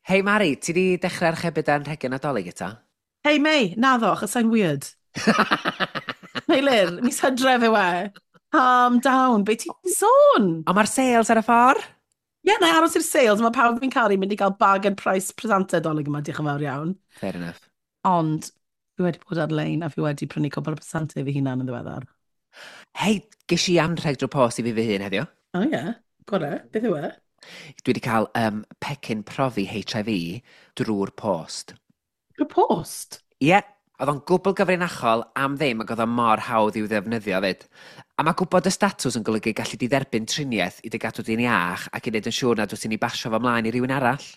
Hei Mari, ti di dechrau archebu dy anrhegion Nadolig eto? Hei Mei, naddo, achos I'm weird. Meilir, mis Hydref yw e. Calm down, be ti'n sôn? Ond mae'r sales ar y ffordd? Ie, yeah, na i aros i'r sales, mae pawb fi'n caru mynd i gael bargain price presentau Dolig yma, diolch yn fawr iawn. Fair enough. Ond fi wedi bod ar-lein a fi wedi prynu cwpl o presentau fi hunan yn ddiweddar. Hei, ges i anrheg drwy post i fi fy hun heddiw. O oh, ie, yeah. Gore, beth yw e? Dwi wedi cael pecyn profi HIV drwy'r post. Drwy'r post? Ie, yeah, oedd o'n gwbl gyfrinachol am ddim ac oedd o mor hawdd i'w ddefnyddio fyd. A mae gwybod y statws yn golygu gallu di dderbyn triniaeth i dy gadw di'n iach ac i wneud yn siŵr nad wyt ti'n ei basio fo mlaen i rywun arall.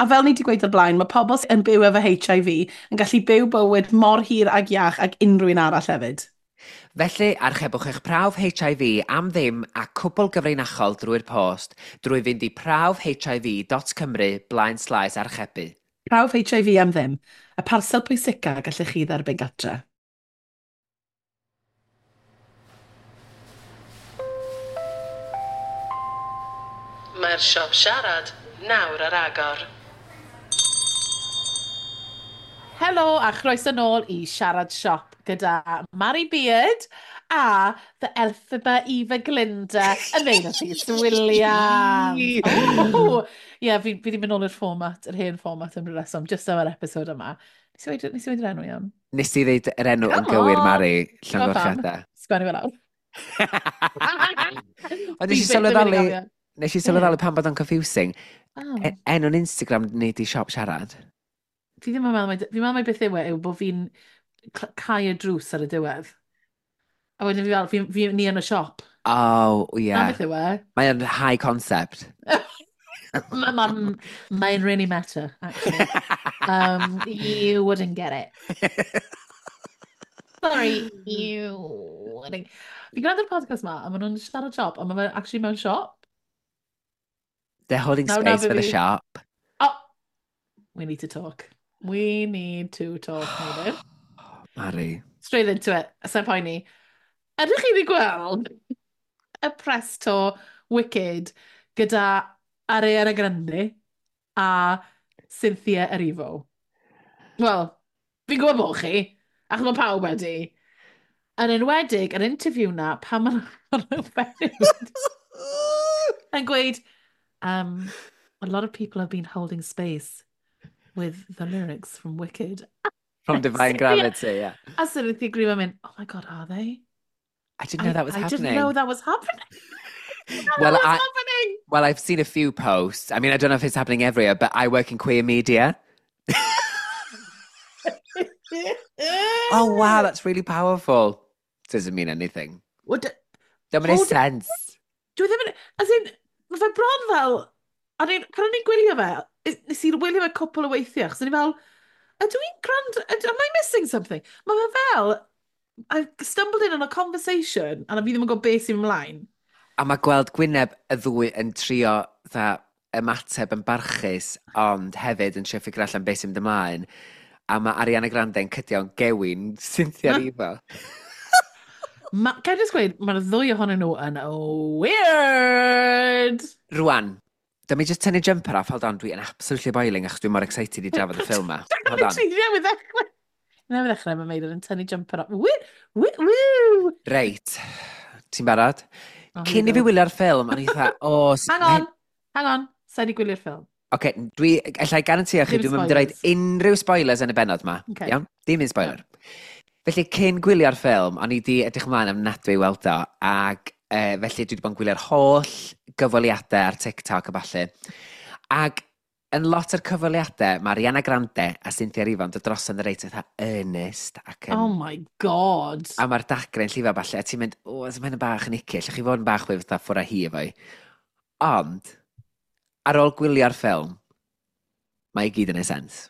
A fel ni wedi gweud o'r blaen, mae pobl sy'n byw efo HIV yn gallu byw bywyd mor hir ag iach ag unrhyw un arall hefyd. Felly, archebwch eich prawf HIV am ddim a cwbl gyfrinachol drwy'r post drwy fynd i prawfhiv.cymru blaen slaes archebu. Prawf HIV am ddim. Y parsel pwysica gallech chi dderbyn gatre. Mae'r siop siarad nawr ar agor. Helo a chroeso nôl i Siarad Siop gyda Mari Beard a the Elphaba Eva Glinda Ymeina Rhys Williams. Oh, ie, fi wedi mynd nôl i'r fformat, yr hen fformat am ryw reswm, just am yr episod yma. Nes i weud yr enw iawn? Nes i ddeud yr enw yn gywir, Mari, llongyfarchiadau. Sgwennu fel awr. Ond nes i sylweddoli, nes i sylweddoli pan bod o'n confusing. Oh. Enw'n Instagram ni di siop siarad. Fi ddim yn meddwl, fi'n meddwl mai beth yw e, yw bod fi'n cau y drws ar y diwedd. A wedyn fi fel, ni yn y siop. Oh, yeah. Na beth yw e. Mae'n high concept. Mae'n really meta, actually. You wouldn't get it. Sorry, you wouldn't. Fi'n gwrando ar podcast ma, a maen nhw'n siarad siop, a mae fe actually mewn siop. They're holding space for the shop. Oh, we need to talk. We need to talk, Meilir. Mari. Straight into it, sa'n poeni. Ydych chi wedi gweld y press tour Wicked gyda Ariana Grande a Cynthia Erivo? Wel, fi'n gwybod bod chi, achos mae pawb wedi. Yn enwedig, yr interview na, pan maen nhw'n yn gweud, a lot of people have been holding space with the lyrics from Wicked. From Divine Gravity, yeah. A Cynthia Erivo mynd, oh my God, are they? I didn't know that was happening. I didn't know that was happening. Happening. Well, I've seen a few posts. I mean, I don't know if it's happening everywhere, but I work in queer media. Oh, wow, that's really powerful. Doesn't mean anything. What? Don't make sense. Dwi ddim yn... As in, mae fe bron fel... Pan o'n i'n gwylio fe, nes i wylio fe cwpl o weithiau, achos o'n i fel, ydw i'n gwrando, am I missing something? Mae fe fel, I stumbled in on a conversation, a fi ddim yn gwybod beth sy'n ymlaen. A mae gweld Gwyneb y ddwy yn trio dda, ymateb yn barchus, ond hefyd yn trio ffigur allan beth sy'n mynd ymlaen. A mae Ariana Grande yn cydio'n gewyn Cynthia Erivo. Ga i jyst gweud, mae'r ddwy ohonyn nhw yn weird! Rwan, dyma i just tynnu jumper off, hold on, dwi yn absolutely boiling achos dwi'n mor excited i drafod y ffilm ma. Hold on. Ti newydd ddechrau. Newydd ddechrau, mae Meilir yn tynnu jumper off. Woo! Woo! Woo! Reit, ti'n barod? Oh, Cyn i fi wylio'r ffilm, o'n i fatha, o... Hang on, hang on, sa'i di gwylio'r ffilm. Oce, dwi, alla i garantio chi, Dim dwi'n mynd i roid spoilers. unrhyw spoilers yn y bennod ma. Okay. Iawn? Dim un spoiler. Felly, cyn gwylio'r ffilm, o'n i di edrych ymlaen ofnadwy i weld o, ac felly dwi wedi bod yn gwylio'r holl gyfweliadau ar TikTok a ballu. Ac yn lot o'r cyfweliadau, mae Ariana Grande a Cynthia Erivo yn dod drosodd yn reit fatha earnest. Ac yn, Oh my God. A mae'r dagre yn llifo ballu, a ti'n mynd, o, oh, mae'n bach yn icky, allwch chi fod yn bach fwy fatha ffwrdd â hi efo i. Ond, ar ôl gwylio'r ffilm, mae i gyd yn ei sens.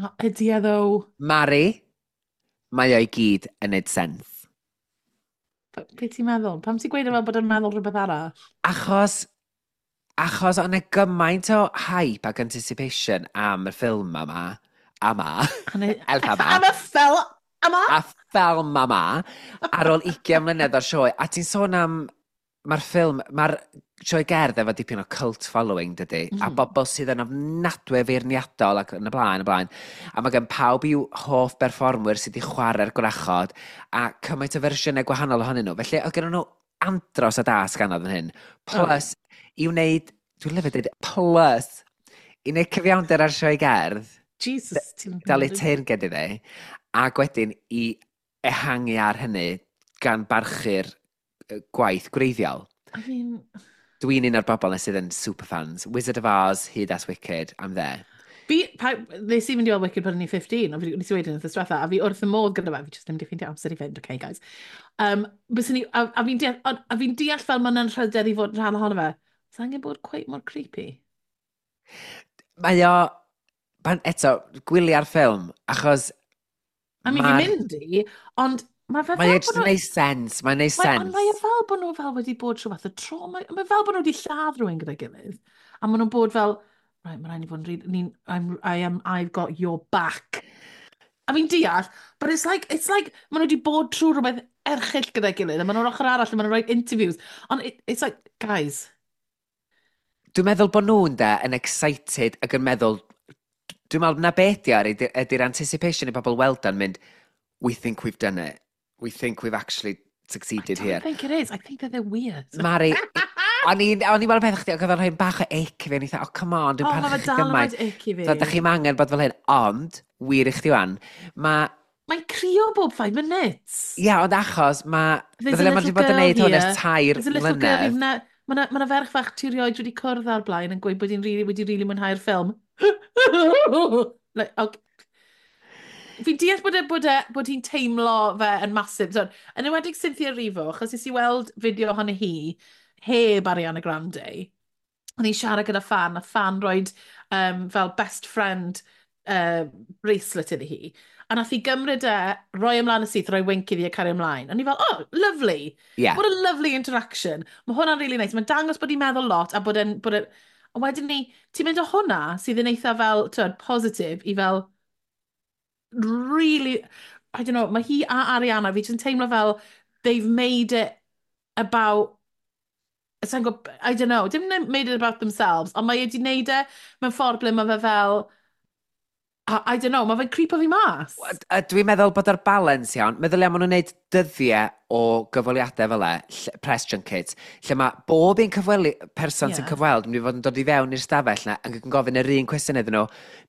Oh, ydy e ddo? Mari, mae o'i gyd yn neud sens. Be ti'n meddwl? Pam ti'n gweud e fel bod yn meddwl rhywbeth arall? Achos o'n e gymaint o hype ac anticipation am y ffilm yma, ama, Elphaba. Am y ffilm yma? A ffilm yma, ar ôl 20 mlynedd o'r sioe. A ti'n sôn am, mae'r ffilm, mae'r Sioe gerdd efo dipyn o cult following, dydy, a bobl sydd yn ofnadwy feirniadol ac yn y blaen, y blaen. A mae gen pawb i'w hoff berfformwyr sydd wedi chwarae'r gwrachod, a cymaint o fersiynau gwahanol ohonyn nhw. Felly, oedd gen nhw andros o dasg anodd yn hyn. Plus, i wneud, dwi'n lyfio dweud, plus, i wneud cyfiawnder ar sioe gerdd, Jesus, ti'n dalu teyrnged iddi, ac wedyn i ehangu ar hynny gan barchu'r gwaith gwreiddiol. I mean, Dwi'n un o'r bobl na sydd yn superfans. Wizard of Oz, hyd at Wicked, I'm there. Fi, pa, nes i fynd i weld Wicked pan o'n i'n 15, ond nes i weud yn wythnos diwetha, a fi wrth y modd gyda fe, fi just ddim wedi ffeindio amser i fynd, okay guys. Byswn i, a fi'n deall, a fi'n deall fel mae'n anrhydedd i fod yn rhan ohono fe. Sa angen bod quite mor creepy. Mae o, pan, eto, gwylia'r ffilm, achos I mean, fi'n mynd i, ond mae fe mae fel e bod just yn nhw neud sens, mae'n neud Mae, ond mae e sens. fel bod nhw fel wedi bod trwy fath o trauma. Mae fel bod nhw wedi lladd rhywun gyda'i gilydd. A maen nhw'n bod fel, right, mae rhaid ni fod yn rili, ni'n, I've got your back. A fi'n deall, but it's like, maen nhw wedi bod trwy rhywbeth erchyll gyda'i gilydd, a maen nhw'n ochr arall, a maen nhw'n rhoi interviews. Ond it's like, guys, Dwi'n meddwl bod nhw'n de yn excited ac yn meddwl, dwi'n meddwl na beth di ar ydy'r anticipation i bobl weld o'n mynd, "We think we've done it. We think we've actually I succeeded don't here." think it is. I think that they're weird. Mari, o'n i'n weld peth chdi, ac oedd o'n rhoi bach o ick i fi, o'n i'n oh, come on, dwi'n Oh, mae parchu fe chi dal yn gymaint. rhaid ick i fi. So, da chi'm angen bod fel hyn, ond, wir i chdi wan, mae, Mae'n crio bob 5 minutes. Ia, ond achos mae, There's a meddylia, mae little wedi bod yn girl neud hwn ers here. 3 There's a little girl mlynedd. you've Mae 'na, ma 'na ferch fach ti rioed wedi cwrdd ar blaen yn gweud bod hi'n really, wedi really mwynhau'r ffilm. Like, okay. Fi'n deall bod hi'n teimlo fe yn massive. So, yn enwedig Cynthia Erivo, achos nes i weld fideo ohono hi heb Ariana Grande. O'n i'n siarad gyda fan, a fan roed fel best friend bracelet iddi hi. A nath hi gymryd e, roi ymlaen y syth, roi wink iddi a cario ymlaen. A ni fel, "Oh, lovely. What a lovely interaction." Mae hwnna'n really nice. Mae'n dangos bod hi'n meddwl lot a bod e'n... Bod e'n a wedyn ni, ti'n mynd o hwnna sydd yn eitha fel, twyd, positif i fel, really, I don't know, mae hi a Ariana, fi jyst yn teimlo fel they've made it about, sa i'n I don't know, dim made it about themselves, ond mae wedi wneud e mewn ffordd ble mae fe fel, I don't know, mae fe'n creepo fi mas. A dwi'n meddwl bod ar balance iawn. Meddylia, maen nhw'n gwneud dyddiau o gyfweliadau fel e, press junkets, lle mae bob un person sy'n cyfweld yn mynd i fod yn dod i fewn i'r stafell na ac yn gofyn yr un cwestiwn iddyn nhw,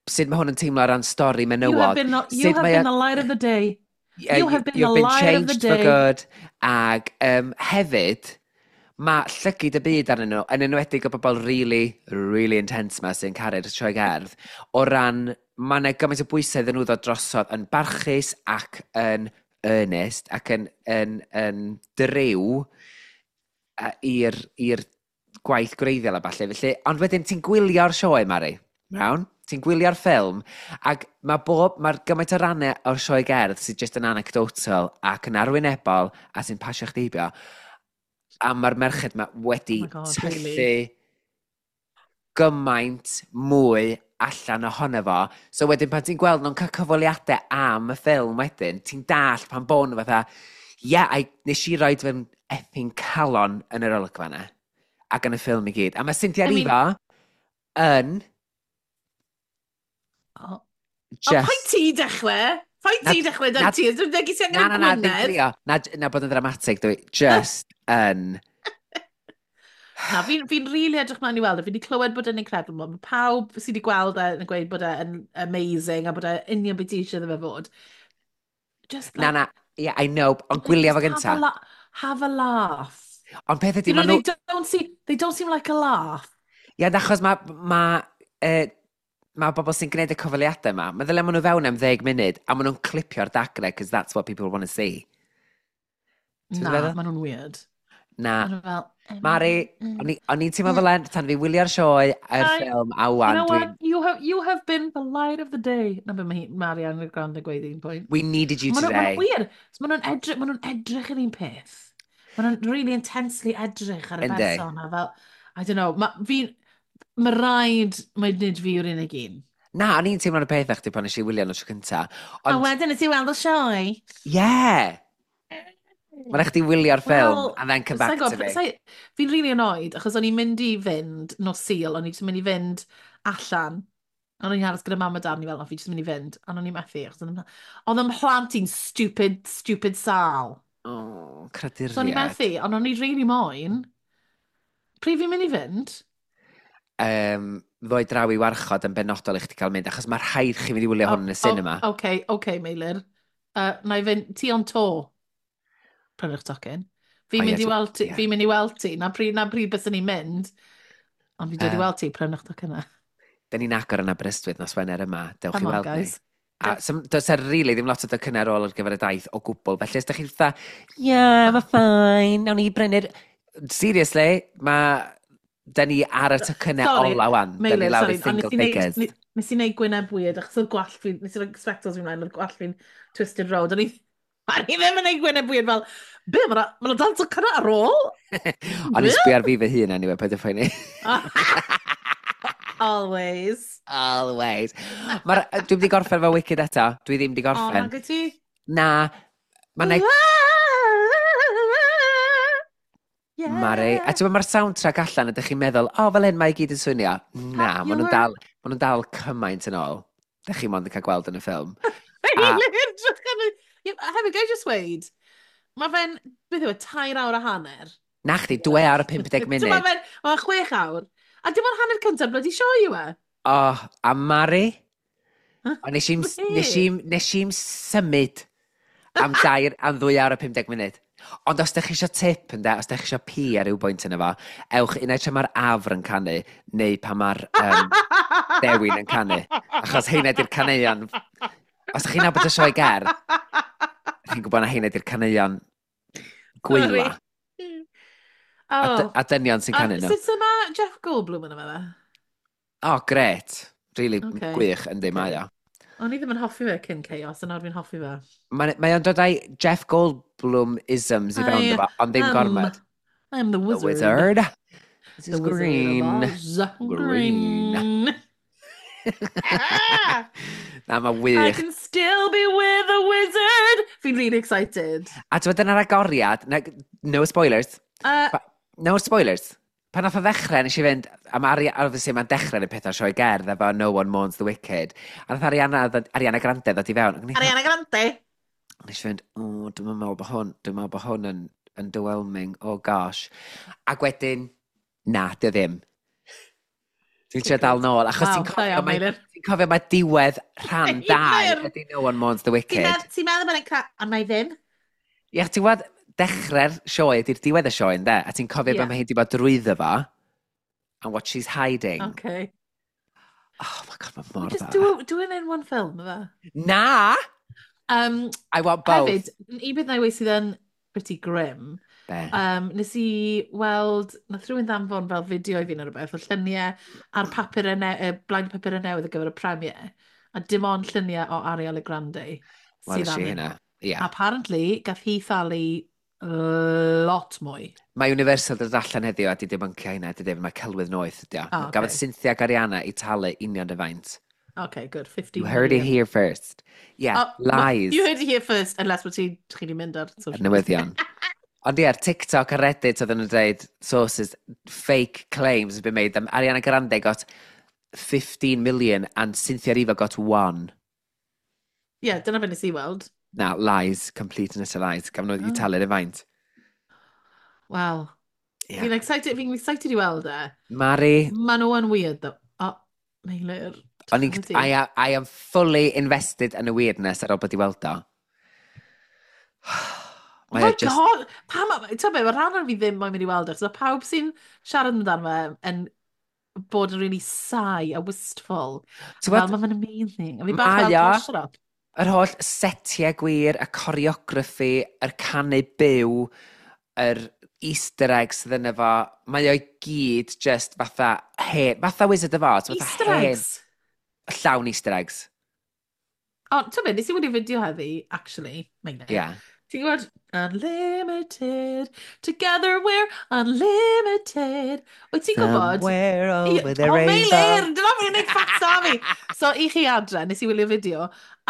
sut mae hwn yn teimlo o ran stori You have menywod, been, you sut have mae been the light of the day. Yeah, You have been you've the been light of the changed for day. good. Ac hefyd, mae llygid y byd arnyn nhw, yn enwedig o bobl really, really intense ma sy'n caru'r sioe gerdd, o ran, mae yna gymaint o bwysau iddyn nhw ddod drosodd yn barchus ac yn earnest ac yn driw i'r gwaith gwreiddiol a falle. Felly, ond wedyn ti'n gwylio'r sioe, Mari, iawn? Ti'n gwylio'r ffilm, ac mae bob, mae'r gymaint o rannau o'r sioe gerdd sydd just yn anecdotal ac yn arwynebol a sy'n pasio chdi heibio. A mae'r merched ma wedi Oh my God, tyllu really? gymaint mwy allan ohono fo. So wedyn pan ti'n gweld nhw'n cael cyfweliadau am y ffilm wedyn, ti'n dallt pan bod nhw fatha, "Yeah, nes i roed fy effing calon yn yr olygfa yna." Ac yn y ffilm i gyd. A mae Cynthia I mean Erivo yn Oh. just O, paid ti dechrau? Paid Na ti dechrau, na dan ti? Dwi'n dweud ti na, angen na, na, ddim Gwynedd. crio. Na, na bod yn ddramatig, dwi just yn Na, fi'n fi really edrych mlaen i weld e. Fi wedi clywed bod e'n incredible. Mae pawb sydd wedi gweld e yn gweud bod e'n amazing a bod e union beth ti eisiau iddo fe fod. Just Na, like, na, yeah, I know, ond gwylio fo just have gynta. a, have a laugh. Ond peth ydy, You know, ma nhw they don't seem like a laugh. Ie, achos ma bobl sy'n gwneud y cyfweliadau yma, meddylia maen nhw fewn am 10 munud, a maen nhw'n clipio'r dagrau, because that's what people want to see. Ti'n Na, feddwl? maen nhw'n weird. Na. Maen nhw fel Mari, o'n i'n teimlo fel en, tan fi wylio'r sioe, yr ffilm, a You wan, know dwi'n what? You have been the light of the day. Na be mae hi, Marianne Grande gweud un pwynt. We needed you Maen nhw, ma today. nhw'n weird. So maen nhw'n edrych yr un peth. Maen nhw'n really intensely edrych ar y Yndi. person a fel, I don't know, mae rhaid, mae nid fi yw'r unig un. Na, o'n i'n teimlo'r peth â chdi pan nes i wylio nhw tro cynta. A Ond, wedyn nes i weld y sioe. yeah! Mae'n rhaid chdi wylio'r ffilm Wel, and then come back sa'n to gwybod, me. Fi'n really annoyed, achos o'n i'n mynd i fynd nos Sul, o'n i jyst yn mynd i fynd allan. O'n i'n aros gyda mam a dad, ni fel, "O, fi jyst yn mynd i fynd." Ond o'n i'n methu, achos oedd 'y mhlant i'n stupid, stupid sal. Oh, So o'n i'n craduriad. methu, ond o'n i really moyn. Pryd fi'n mynd i fynd? Ddoi draw i warchod yn benodol i chdi cael mynd, achos mae rhaid chi fynd i wylio hwn yn y cinema. Oh, okay, Meilir. Na i fynd, ti on tour. Prynwch tocyn. Fi'n O, ie, mynd i weld ti, fi'n mynd i weld ti. Na pryd bys ni'n mynd. Ond fi'n dod i weld ti, prynwch tocyn na. Da ni'n agor yn Aberystwyth nos Wener yma. Dewch i Come on, weld ni. guys. A does e really ddim lot o docynnau ar ôl ar gyfer y daith o gwbl. Felly, os da chi'n fatha, "Yeah, mae fine, nawn ni brynu'r." Seriously, mae... Da ni ar y tocynnau Sorry, ola wan. Da ni Meilir, lawr i sorry, ond single nes i neud, figures. nes i neud gwyneb weird, achos oedd gwallt fi, nes i roi spectacles fi mlaen, oedd gwallt fi'n twisted round. O'n i ddim yn neud gwyneb weird fel, "Be, mae'na ma dal tocynnau ar ôl?" O'n i'n sbio ar fi fy hun anyway, paid â phoeni. Always. Always. Dwi'm di gorffen efo Wicked eto. Dwi ddim di O, gorffen. nag wyt ti? Na. Mae'n Yeah. Mari. A ti'n mae'r soundtrack allan, ydych chi'n meddwl, "O, oh, fel hyn mae i gyd yn swnio." Na, maen nhw'n dal, ma nhw'n dal cymaint yn ôl. Dych chi mond yn cael gweld yn y ffilm. Ie, hefyd, gai just weud, mae fe'n, beth yw e, 3 awr a hanner. Na chdi, 2 awr a 50 Mae munud. fe'n, mae'n 6 awr. A dim ond hanner cyntaf bloody sioe yw e. Oh, a Mari, Huh? o, nes i'm, Be? nes i'm symud am 2 awr a 50 munud. Ond os ydych chi eisiau tip, ynde, os ydych chi eisiau pi ar ryw bwynt yna fo, ewch unai tra mae'r afr yn canu, neu pan mae'r dewin yn canu. Achos heina di'r caneuon. Os ydych chi'n nabod y sioe gerdd, chi'n gwybod na heina di'r caneuon gwyla. Oh. A dynion sy'n canu nhw. Sut yma Jeff Goldblum yn yma fe? Oh, gret. Really gwych, yndi, mae o. O'n i ddim yn hoffi fe cyn Chaos, a nawr fi'n hoffi fe. Mae o'n dod â'i Jeff Goldblum-isms i fewn I iddo fo, ond ddim gormod. I'm the The wizard. wizard. This The is wizard green. of Oz. Green. Green. Ah! Na, mae I wych. can still be with the wizard. Fi'n really excited. A ti'n dyna'r agoriad, na, no spoilers, no spoilers. Pan nath o ddechrau, nes i fynd, a mae Ari, obviously mae'n dechrau yn y pethau sioe gerdd efo No One Mourns the Wicked. A nath Ariana Grande ddod i fewn. Ac Ariana Grande. Nes i fynd, "O, dwi'n meddwl bod hwn, dwi'n meddwl bod hwn yn underwhelming, oh gosh." Ac wedyn, na, dio ddim. Dwi'n trio dal nôl, achos Waw, ti'n da cofio, iawn, mae, Meilir. ti'n cofio mae diwedd rhan 2 Meilir! ydy No One Mourns the Wicked. Ti'n meddwl bod e'n ond mae ddim. Ie, ti'n gwybod, dechrau'r sioe ydy'r diwedd y sioe, ynde? A ti'n cofio yeah, be mae hi wedi bod drwyddo fo, and what she's hiding. Okay. Oh my God, mae mor Just dda. do it in one film, yfe? Na! I want both. Hefyd, un beth na i weud sydd yn pretty grim, Be? Nes i weld, nath rhywun ddanfon fel fideo i fi neu rhywbeth, o lluniau ar papur y blaen papur y newydd ar gyfer y premiere, a dim ond lluniau o Ariana Grande Wel, sydd nes i arnyn hynna. nhw. Ie. Apparently, gath hi thalu lot mwy. Mae Universal dod allan heddiw a di debuncio hynna, di dweud, mae celwydd noeth ydi o. Oh, Gafodd okay. Cynthia ac Ariana i talu union y faint. Okay, good. 15 You heard it million. here first. Yeah, Oh, well, lies. You heard it here first, unless bod chi 'di mynd ar social Ar newyddion. Ond ie, ar TikTok a Reddit oedden nhw'n dweud sources, fake claims have been made. That Ariana Grande got 15 million and Cynthia Erivo got one. Yeah, dyna fe nes i weld. Na, lies, complete and utter lies. Gafon nhw i Oh. talu'r faint. Wow. Yeah. Fi'n excited i weld e. Mari, Maen nhw yn weird, though. Oh, Meilir. o'n i'n, Dychmygu. I am fully invested in the weirdness ar ôl bod i weld o. Oh Mae my o just God! Pam, ti'n be, mae rhan o'r fi ddim moyn mynd i weld e, achos mae pawb sy'n siarad amdano fe yn bod yn really sigh a wistful. Ti'n Fel, gwbod, mae fe'n amazing. A fi bach Mae fel, o. "Oh, shut up." Yr holl setiau gwir, y choreography, yr canu byw, yr Easter eggs sydd yna fo, mae o i gyd just fatha hen, fatha Wizard of Oz, fatha Easter hen, eggs. Llawn Easter eggs. O, ti'n be, nes i wylio fideo heddi, actually, Meilir. Yeah. Ti'n gwybod? Unlimited, together we're unlimited. Wyt ti'n gwybod? Somewhere over the O, rainbow. Meilir! Dyna fi'n gwneud ffasa fi! So, i chi adre, nes i wylio fideo,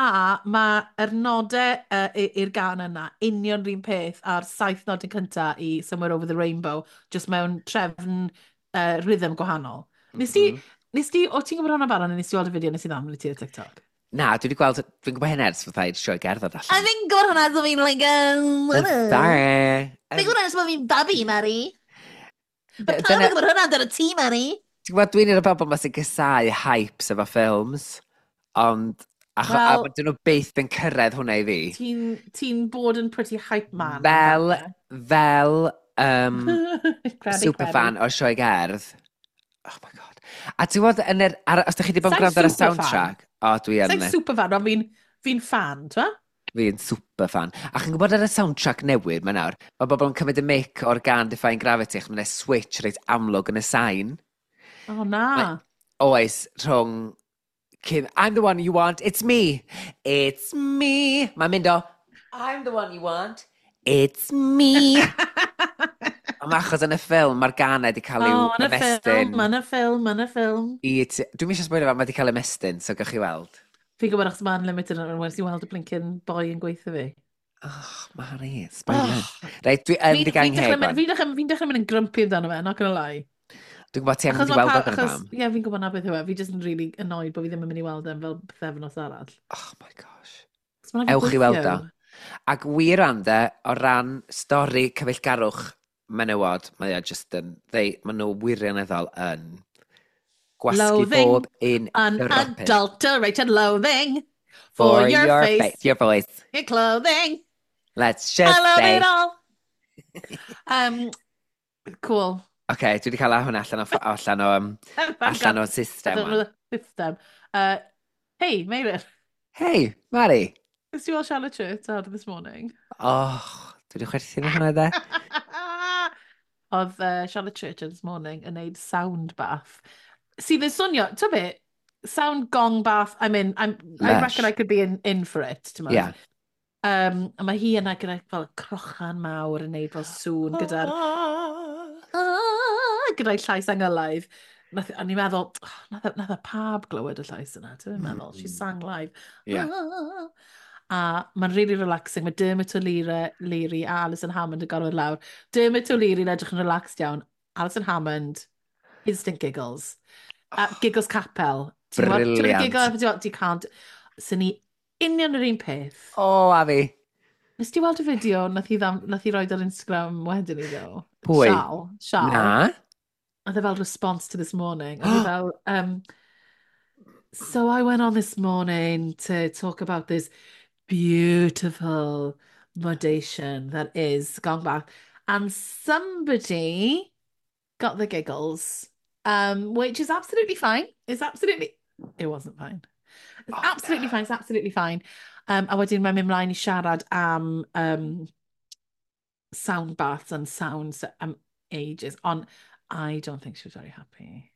a mae'r nodau i'r gan yna union rhywun peth a'r saith nodyn cynta i Somewhere Over the Rainbow, just mewn trefn rhythm gwahanol. Nes ti, nes ti, o ti'n gwybod hwnna barod, neu nes ti weld y fideo nes i ddamn i ti ar TikTok? Na, dwi wedi gweld, dwi'n gwybod hyn ers fatha i'r sioe gerdded allan. fi'n gwybod hwnna, so fi'n like, Sorry. Fi'n gwybod hwnna, so fi'n babi, Mari. Mae pawb yn gwybod hwnna amdano ti, Mari. Ti'n gwybod, dwi'n un o'r bobl ma sy'n gysau hypes efo ffilms, ond acho, Wel- a dyn nhw byth yn cyrraedd hwnna i fi. Ti'n ti bod yn pretty hype man. Fel Fel superfan o'r sioe gerdd. Oh my God. A ti'n gwybod, yn yr, ar, os ydych chi wedi bod yn Sai'n gwrando ar y superfan. soundtrack, o, dwi yn, Sa'n superfan, ond fi'n fi fan, ti'n fi'n superfan. A chi'n gwybod ar y soundtrack newydd mae nawr, mae bobl yn cymryd y mic o'r gan Defying Gravity, achos mae'n switch reit amlwg yn y sain. O, na. Oes, rhwng Kim, "I'm the one you want, it's me, it's me." Mae'n mynd o, "I'm the one you want, it's me." Ond mae achos yn y ffilm, mae'r ganau wedi cael ei O, yn y ymestyn. ffilm, yn y ffilm, yn y ffilm. Dwi'n eisiau sboilio fe, mae wedi cael ei ymestyn, so gewch chi weld. Fi'n gwybod achos mae'n limited yn wedi weld y blinking boi yn gweithio fi. Oh, Mari, spoiler. Reit, dwi yn Fi'n di gang dechrau heb. mynd- fi'n dechrau mynd yn grumpy amdano fe, not gonna lie. Dwi'n gwybod ti am Achos mynd i ma' weld o pa- gyda achos, pam. ie, fi'n gwybod na beth yw e. Fi just yn really annoyed bod fi ddim yn mynd i weld e'n fel pythefnos arall. Oh my gosh. Achos ma' raid fi Ewch i weld o. gweithio. Ac wir ande, o ran stori cyfeillgarwch menywod, mae o just yn, they, maen nhw wirioneddol yn gwasgu Loathing bob un dropyn. Unadulterated loathing for your face, your voice. Your clothing. Let's just I love say. it all. Cool. OK, dwi wedi cael hwnna allan o system. Allan o'r system. Hey, Meilir. Hey, Mari. Nes ti weld Charlotte Church ar This Morning? Oh, dwi wedi chwerthin yn hwnna de. Oedd Charlotte Church ar This Morning yn neud sound bath. Sydd yn swnio, ti'n be, sound gong bath, I'm in, I Lush. reckon I could be in for it, ti'n Yeah. A mae hi yna gyda fel crochan mawr yn neud fel sŵn gyda'r ah, gyda'i llais angylaidd. Nath, a ni'n meddwl, oh, nath y pab glywed y llais yna, ti'n meddwl, she sang live. Ah. A mae'n really relaxing. Mae Dermot O'Leary a Alison Hammond yn gorfod lawr. Dermot O'Leary'n edrych yn relaxed iawn. Alison Hammond, instant giggles. Giggles capel. Ti'n gwbod- ti'n gwbod Brilliant. Giggle, ti'n gwbod, you can't. Sy'n ni union yr un peth. O, a fi. Nes ti weld y fideo nath hi roed ar Instagram wedyn i ddo? Pwy? Sial. Sial. Na. Oedd e fel response to This Morning. Oedd e fel, "So I went on This Morning to talk about this beautiful modation that is gong bath. And somebody got the giggles, which is absolutely fine. It's absolutely... It wasn't fine. It's Oh, absolutely no. fine. It's absolutely fine." A wedyn mae'n mynd mlaen i siarad am sound baths and sounds am ages. Ond I don't think she was very happy.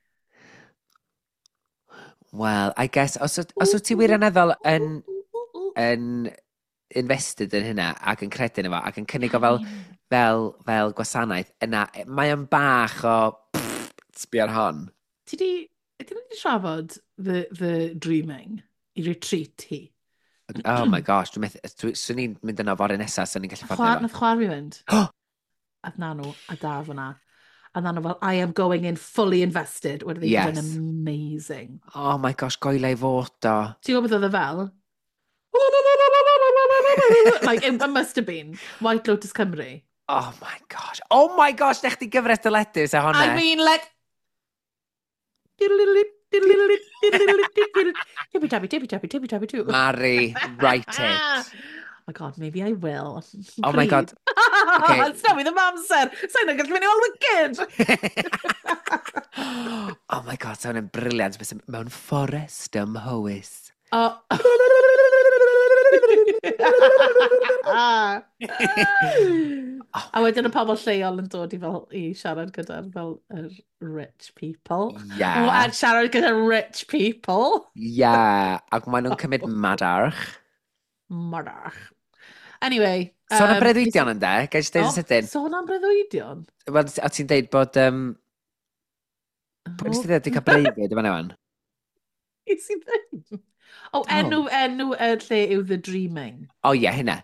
Well, I guess, os wyt ti wirioneddol yn invested yn hynna ac yn credu yn efo ac yn cynnig o fel gwasanaeth, yna mae o'n bach o pff, sbio ar hon. Ydyn ni wedi trafod the dreaming i retreat hi? Oh my gosh, dwi'n methu, swn i'n mynd yno fory nesaf, swn i'n gallu fforddio fo. Nath chwar fi fynd. A na nhw, a daf yna. A na nhw fel, "I am going in fully invested." Wedi yes. Yn amazing. Oh my gosh, goela i fod o. Ti'n gwybod beth oedd e fel? Like, it must have been White Lotus Cymru. Oh my gosh. Oh my gosh, nech ti gyfres dyledu sa honna. I mean, like... Tippy tappy, tippy tappy, tippy tappy too. Mari, write it. Oh my God, maybe I will. Oh my God. Okay. It's not me ddim amser. Sa'n gallu mynd i weld Wicked. Oh my God, sa hwnna'n brilliant. Bysa mewn fforest ym Mhowys. Oh. A wedyn y pobl lleol yn dod i fel i siarad gyda'r fel yr rich people. Yeah. O, a siarad gyda'r rich people. Yeah. Ac maen nhw'n cymryd madarch. Madarch. Anyway. Sôn am breuddwydion yn de, gai jyst deud yn sydyn. Sôn am breuddwydion? Wel, a ti'n deud bod... Pwy nes ti ddeud wedi cael breuddwyd yma newan? Nes i ddim. O, enw y lle yw The Dreaming. O ie, hynna.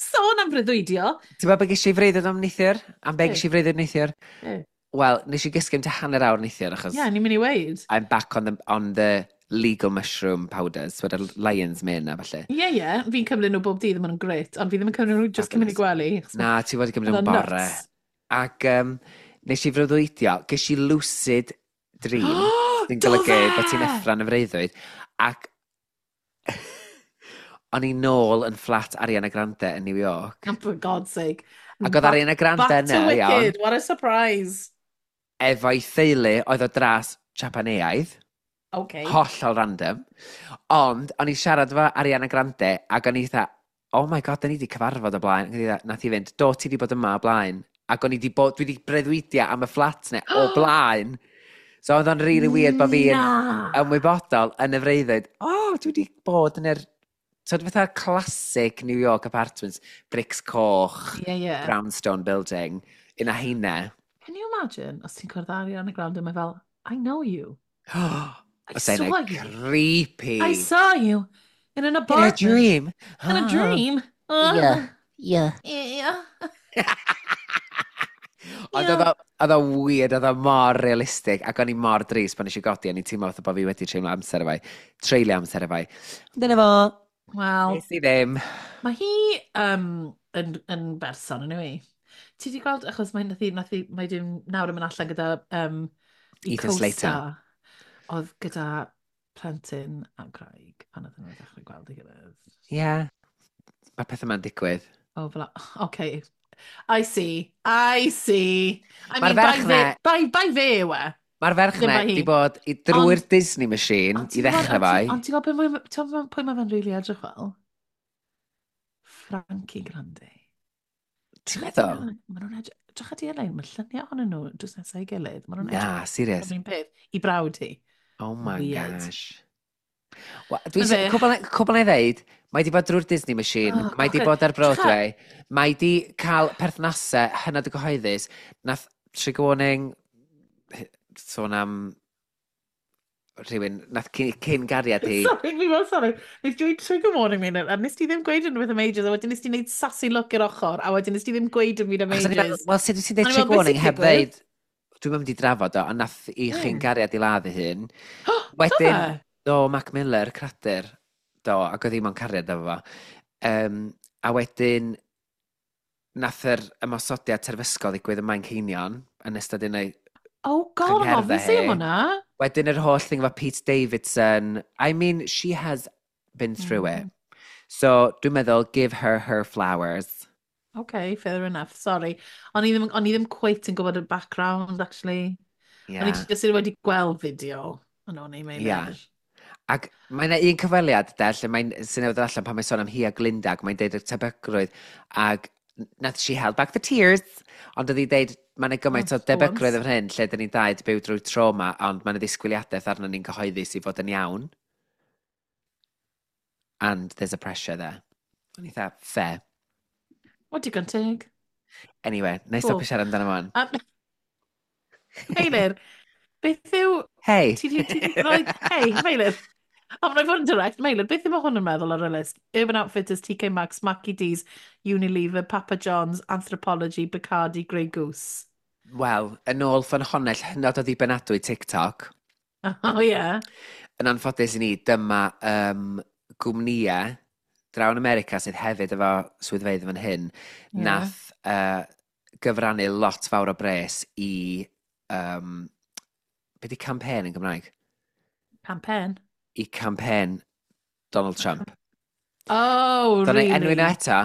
Sôn am breuddwydio. Ti'n gwybod be ges i freuddwyd am neithiwr? Am be ges i freuddwyd neithiwr? Wel, nes i gysgu am tua hanner awr neithiwr, achos... Ie, yeah, ni'n mynd i weud. I'm back on the legal mushroom powders, so y lion's mane a falle. Ie, yeah. Fi'n cymryd nhw bob dydd, maen nhw'n gret. Ond fi ddim yn cymryd nhw just cyn mynd i gwely. Na, ti wedi cymryd nhw'n bore. Ac nes i freuddwydio, ges i lucid dream, sy'n golygu bod ti'n effro'n y freuddwyd. Ac o'n i nôl yn fflat Ariana Grande yn New York. Oh, for God's sake. Ac oedd Ariana Grande Back to yna, iawn, Wicked, what a surprise. Efo'i theulu oedd o dras Japaneaidd. Hollol random. Ond, o'n i siarad efo Ariana Grande, ac o'n i dda, "Oh my God, da ni wedi cyfarfod o blaen." Ac o'n i dda, nath i fynd, "Do, ti wedi bod yma o blaen." Ac o'n i wedi bod, dwi wedi breuddwydio am y fflat ne o blaen. So oedd o'n really weird bod fi yn Na. ymwybodol yn y freuddwyd, oh, dwi wedi bod yn yr... So, fatha classic New York apartments, bricks coch, Ie, ie. brownstone building, un a heina. Can you imagine os ti'n cwrdd Ariana Grande, mae fel, "I know you. I Os saw you. Creepy. I saw you in an In a apartment. dream. In a dream." Yeah. Ond oedd o weird, oedd o mor realistig, ac o'n i mor drist pan nes i godi, o'n i'n teimlo fatha bod fi wedi treulio amser efo i. Treulio amser efo i. Ond dyna fo, Wel, nes i ddim. Mae hi yn berson, yn yw i? Ti wedi gweld, achos mae nath hi, mae dim nawr yn mynd allan gyda i Ethan Slater. co-star, oedd gyda plentyn a gwraig pan oedden nhw'n dechrau gweld ei gilydd. Ie. Yeah. Mae pethau ma'n digwydd. Oh, fel, okay. I see. I see. I Mae'r mean, ferch bai fe yw e. Mae'r ferch Ddim na bai hi. di bod i drwy'r Disney machine Ond i ti'n gwbod- ddechrau ond fai. Ond ti'n gwybod ti'n gwbod pwy mae fe'n rili edrych fel? Frankie Grande. Ti'n meddwl? Maen nhw'n edrych... Drych ar di-lein, mae lluniau ohonyn nhw drws nesaf ei gilydd. Maen nhw'n Na, edrych serious. yr un peth. I brawd hi. Oh my Weird. gosh. Wel, Dwi'n Ma' fe. cwbl na i ddeud, mae di bod drwy'r Disney machine, Oh, mae di God. bod ar Broadway, mae di cael perthnasau hynod o gyhoeddus. Nath trigger warning, sôn am rhywun, nath cyn gariad hi. Sorry, fi fel, sorry. Nes dweud trigger warning mi, a nes ti ddim gweud unrhyw beth am ages, a wedyn nes ti wneud sassy look i'r ochr, a wedyn nes ti ddim gweud dim byd am Achos o'n i fel, ages. wel, sut wyt ti'n dweud O'n i fel, trigger "Beth warning sy'n heb digwydd?" ddeud, dwi'n mynd i drafod o, ond nath i chyn gariad i ladd ei hun. Wedyn, Wedyn, do, Mac Miller, cradur, do, ac oedd hi mewn cariad efo fo. A wedyn, nath yr ymosodiad terfysgol ddigwydd ym Manceinion yn ystod un o'i Oh God, I'm chyngherddau obviously am hi. hwnna. Wedyn yr holl thing efo Pete Davidson. I mean, she has been through it. So, dwi'n meddwl, give her her flowers. Okay, fair enough, sorry. O'n i ddim quite yn gwybod y background, actually. O'n i just wedi gweld fideo. Ond o'n i'n meddwl. Yeah. Ac mae yna un cyfweliad, de, lle mae'n sy'n newydd allan pan mae'n sôn am hi a Glinda, ac mae'n deud y tebygrwydd, ac nath she held back the tears, ond oedd hi deud, mae yna gymaint Oh, o debygrwydd once. efo hyn, lle dyn ni'n dau 'di byw drwy trauma, ond mae yna ddisgwyliadaeth arno ni'n gyhoeddus i fod yn iawn. And there's a pressure there. O'n i dda, fair. O, digon teg. Anyway, na i Cool. stopio siarad amdano fo. Meilir, beth yw... Hey! Ti di rhoi... Hey, Meilir. A mae'n fod yn direct. Meilir, beth yw mae hwn yn meddwl ar y list? Urban Outfitters, TK Maxx, Mackie D's, Unilever, Papa John's, Anthropology, Bacardi, Grey Goose. Wel, yn ôl ffynhonnell hynod o ddibynadwy TikTok, Oh, yeah. yn anffodus i ni, dyma gwmnïau draw yn America sydd hefyd efo swyddfeydd fan hyn, nath gyfrannu lot fawr o bres i... Be di campaign yn Gymraeg? Campaign. I campaign Donald Trump. Oh, Dyna really? enwi nhw eto.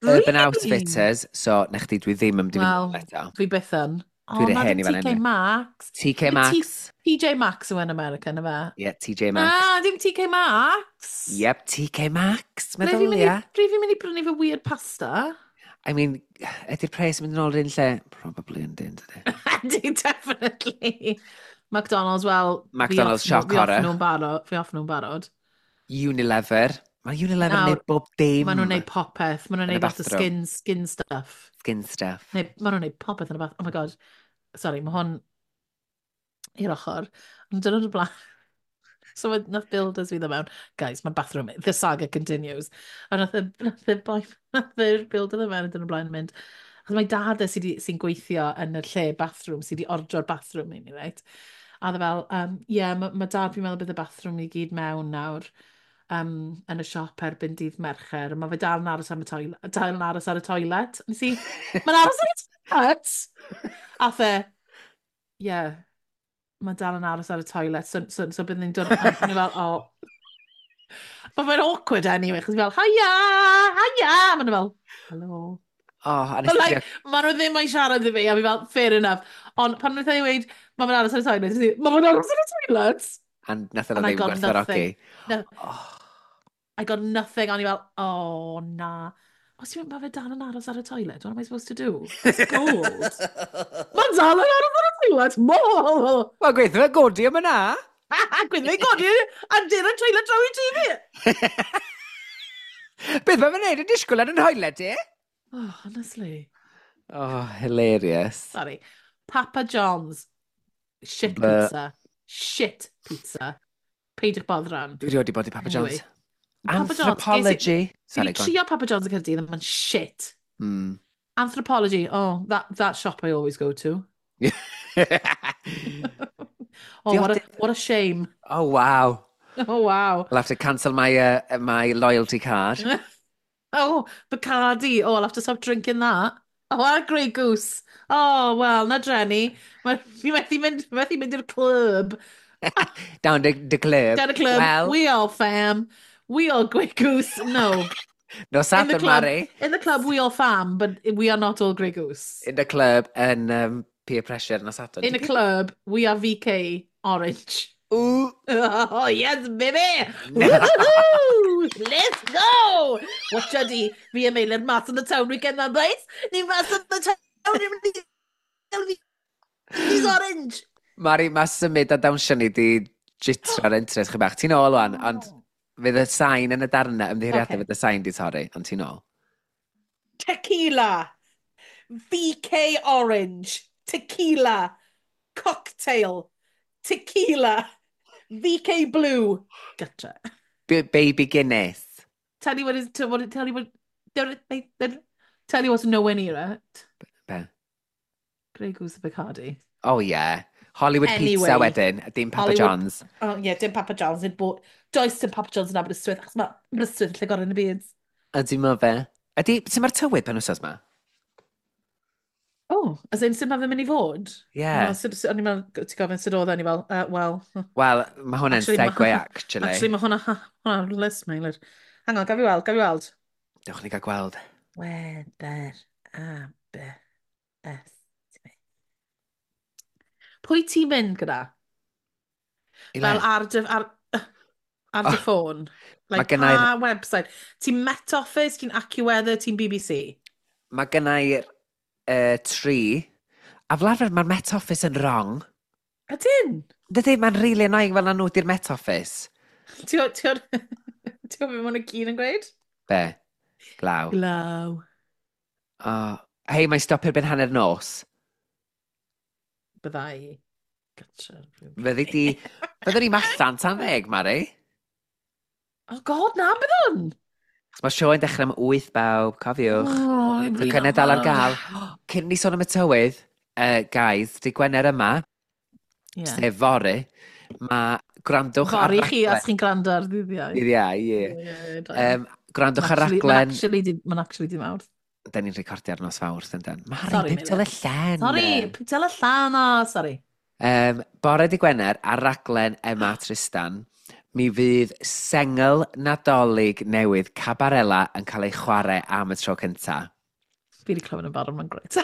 Urban Really? Outfitters, so na chdi, dwi ddim yn mynd i Wel, fynd eto. Fi byth yn. Oh, Dwi'n na, hen dim i fan TK hyn. Maxx. TK Dim Maxx. TJ Maxx yw yn America, na fe? Yeah, TJ Maxx. Ah, dim TK Maxx. Yep, TK Maxx, Ble fi'n mynd i- meddylia. ble fi'n mynd i brynu fy weird pasta? I mean, ydy'r pres yn mynd yn ôl yr un lle? Probably yn dyn, dydy. Ydy, definitely. McDonald's, well... McDonald's, shock fi off horror. nhw'n barod. Fi off nhw'n barod. Unilever. Mae Unilever yn neud bob dim. Maen nhw'n neud popeth. Maen nhw'n Yn y neud lot o bathroom. skin stuff. Skin stuff. Neu, maen nhw'n neud popeth yn y bath. Oh my God. Sorry, mae hwn i'r ochr. Ond dyn nhw'n blaen. So nath builders fi ddod mewn. Guys, mae bathroom, the saga continues. A nath y boi, nath y builder ddod mewn yn dyn nhw'n blaen yn mynd. Achos mae dad e sy'n gweithio yn y lle bathroom, sydd wedi ordro'r bathroom i ni, right? A oedd e fel, yeah, ma dad fi'n meddwl bydd y bathroom i gyd mewn nawr yn y siop erbyn dydd Mercher. Mae fe dal yn aros am y toilet, dal yn aros ar y toilet. Nes i, mae'n aros ar y toilet! A fe, yeah, mae dal yn aros ar y toilet, so bydd ni'n dod, a o'n i fel, oh. But mae'n awkward anyway, chos fi fel, hiya, hiya! Maen nhw fel, hello. Oh, a nes But i like, maen nhw ddim yn siarad i fi, a fi fel, fair enough. Ond pan wnaeth ei weud, mae fe'n aros ar y toilet, nes i, mae fe'n aros ar y toilet! And nath nhw And I ddim got gwerthfawrogi. nothing. No. Oh. I got nothing. O'n i fel, oh, na. Os ti'n mynd, mae fe dal yn aros ar y toilet, what am I supposed to do? It's gold. Mae'n dal yn aros ar y toilet! Mo! Wel, gweithio fe godi am yna. Gweithio fe godi a dyn y toilet draw i tŷ fi! Beth mae fe'n neud yn disgwyl ar yn toilet i? Oh, honestly. Oh, hilarious. Sorry. Papa John's. Shit pizza. Shit pizza. Peidiwch boddran. Dwi rioed 'di bod i Papa Anyway. John's. Papa John's, Anthropology. Fi Sorry, 'di go on. trio Papa John's yn Caerdydd, and mae'n shit. Anthropology, oh, that shop I always go to. Oh, what a shame. Oh, wow. Oh, wow. I'll have to cancel my loyalty card. Oh, Bacardi. Oh, I'll have to stop drinking that. Oh, what a Grey Goose. Oh, well, na dreni. Fi methu mynd i'r club. Down the club. Down the club. Well, We all fam. We all Grey Goose. No. No In the Saturn, club, Mari. in the club, we all fam, but we are not all Grey Goose. In the club, yn peer pressure nos Sadwrn. In the club, we are VK Orange. Ooh. Oh, yes, baby! Woohoo! Let's go! Watch di, fi a Meilir mas yn y town weekend na, boys. Ni mas yn y town, ni'n mynd i gael He's orange! Mari, mae symud a dawnsio ni di jitro'r interest chi bach. Ti'n ôl wan, ond fydd y sain yn y darnau, ymddiheuriadau Okay. fydd y sain di torri, ond ti'n ôl. Tequila. VK Orange. Tequila. Cocktail. Tequila. VK Blue. Gotcha. Baby Guinness. Tell you what is, tell what, tell you what, tell you what's nowhere near it. Be? Grey Goose Bacardi. Oh yeah. Hollywood Anyway. Pizza wedyn, a dim Papa Hollywood- John's. Oh yeah, dim Papa John's. Nid bo... Does dim Papa John's yn Aberystwyth, achos mae Aberystwyth yn lle gorau yn y byd. Ydy ma fe. Ydy, sut mae'r tywydd pen wsos ma? Oh, as in, sut mae fe'n mynd i fod? Yeah. O'n i'n meddwl, ti'n gofyn sut oedd e, o'n i fel, well... Wel, mae hwnna'n Actually, ma- segue, actually. Actually, mae hwnna list, Meilir. Hang on, gaf i weld, gaf i weld. Dewch ni gael gweld. Weather, A, B, S, T. Pwy ti'n mynd gyda? I Fel le? ar dy Oh, ffôn? mae Like, gennai'r pa website? Ti'n Met Office, ti'n AccuWeather, ti'n BBC? Mae gennai'r tri. A fel arfer, mae'r Met Office yn wrong. Ydyn? Dydy, mae'n really annoying fel na nhw di'r Met Office. Ti'n gwybod beth maen nhw gyd yn gweud? Be? Glaw. Glaw. Oh. Hei, mae'n stopio erbyn hanner nos. Byddai. Gotcha. Fyddi di... Fyddwn ni'n allan tan 10, Mari. Oh God, na, byddwn! Chos mae sioe'n dechrau am 8 bawb, cofiwch. Oh, I'm Tocynnau dal ar gael. Cyn ni sôn am y tywydd, guys, di Gwener yma, Yeah. sef fory, mae gwrandwch ar Fory chi, raglen... os chi'n gwrando ar ddydd Iau. Dydd Iau, ie. Ie, da. Gwrandwch ar raglen... Mae'n actually di mawrth. Da ni'n recordio ar nos Fawrth, yndan. Mari, Sorry, pimp y llen. Sorry, pimp y llen, o, sorry. Bore di Gwener, ar raglen Emma Tristan, mi fydd sengl Nadolig newydd Cabarella yn cael ei chwarae am y tro cynta. Fi wedi clywed yn barod, mae'n grêt.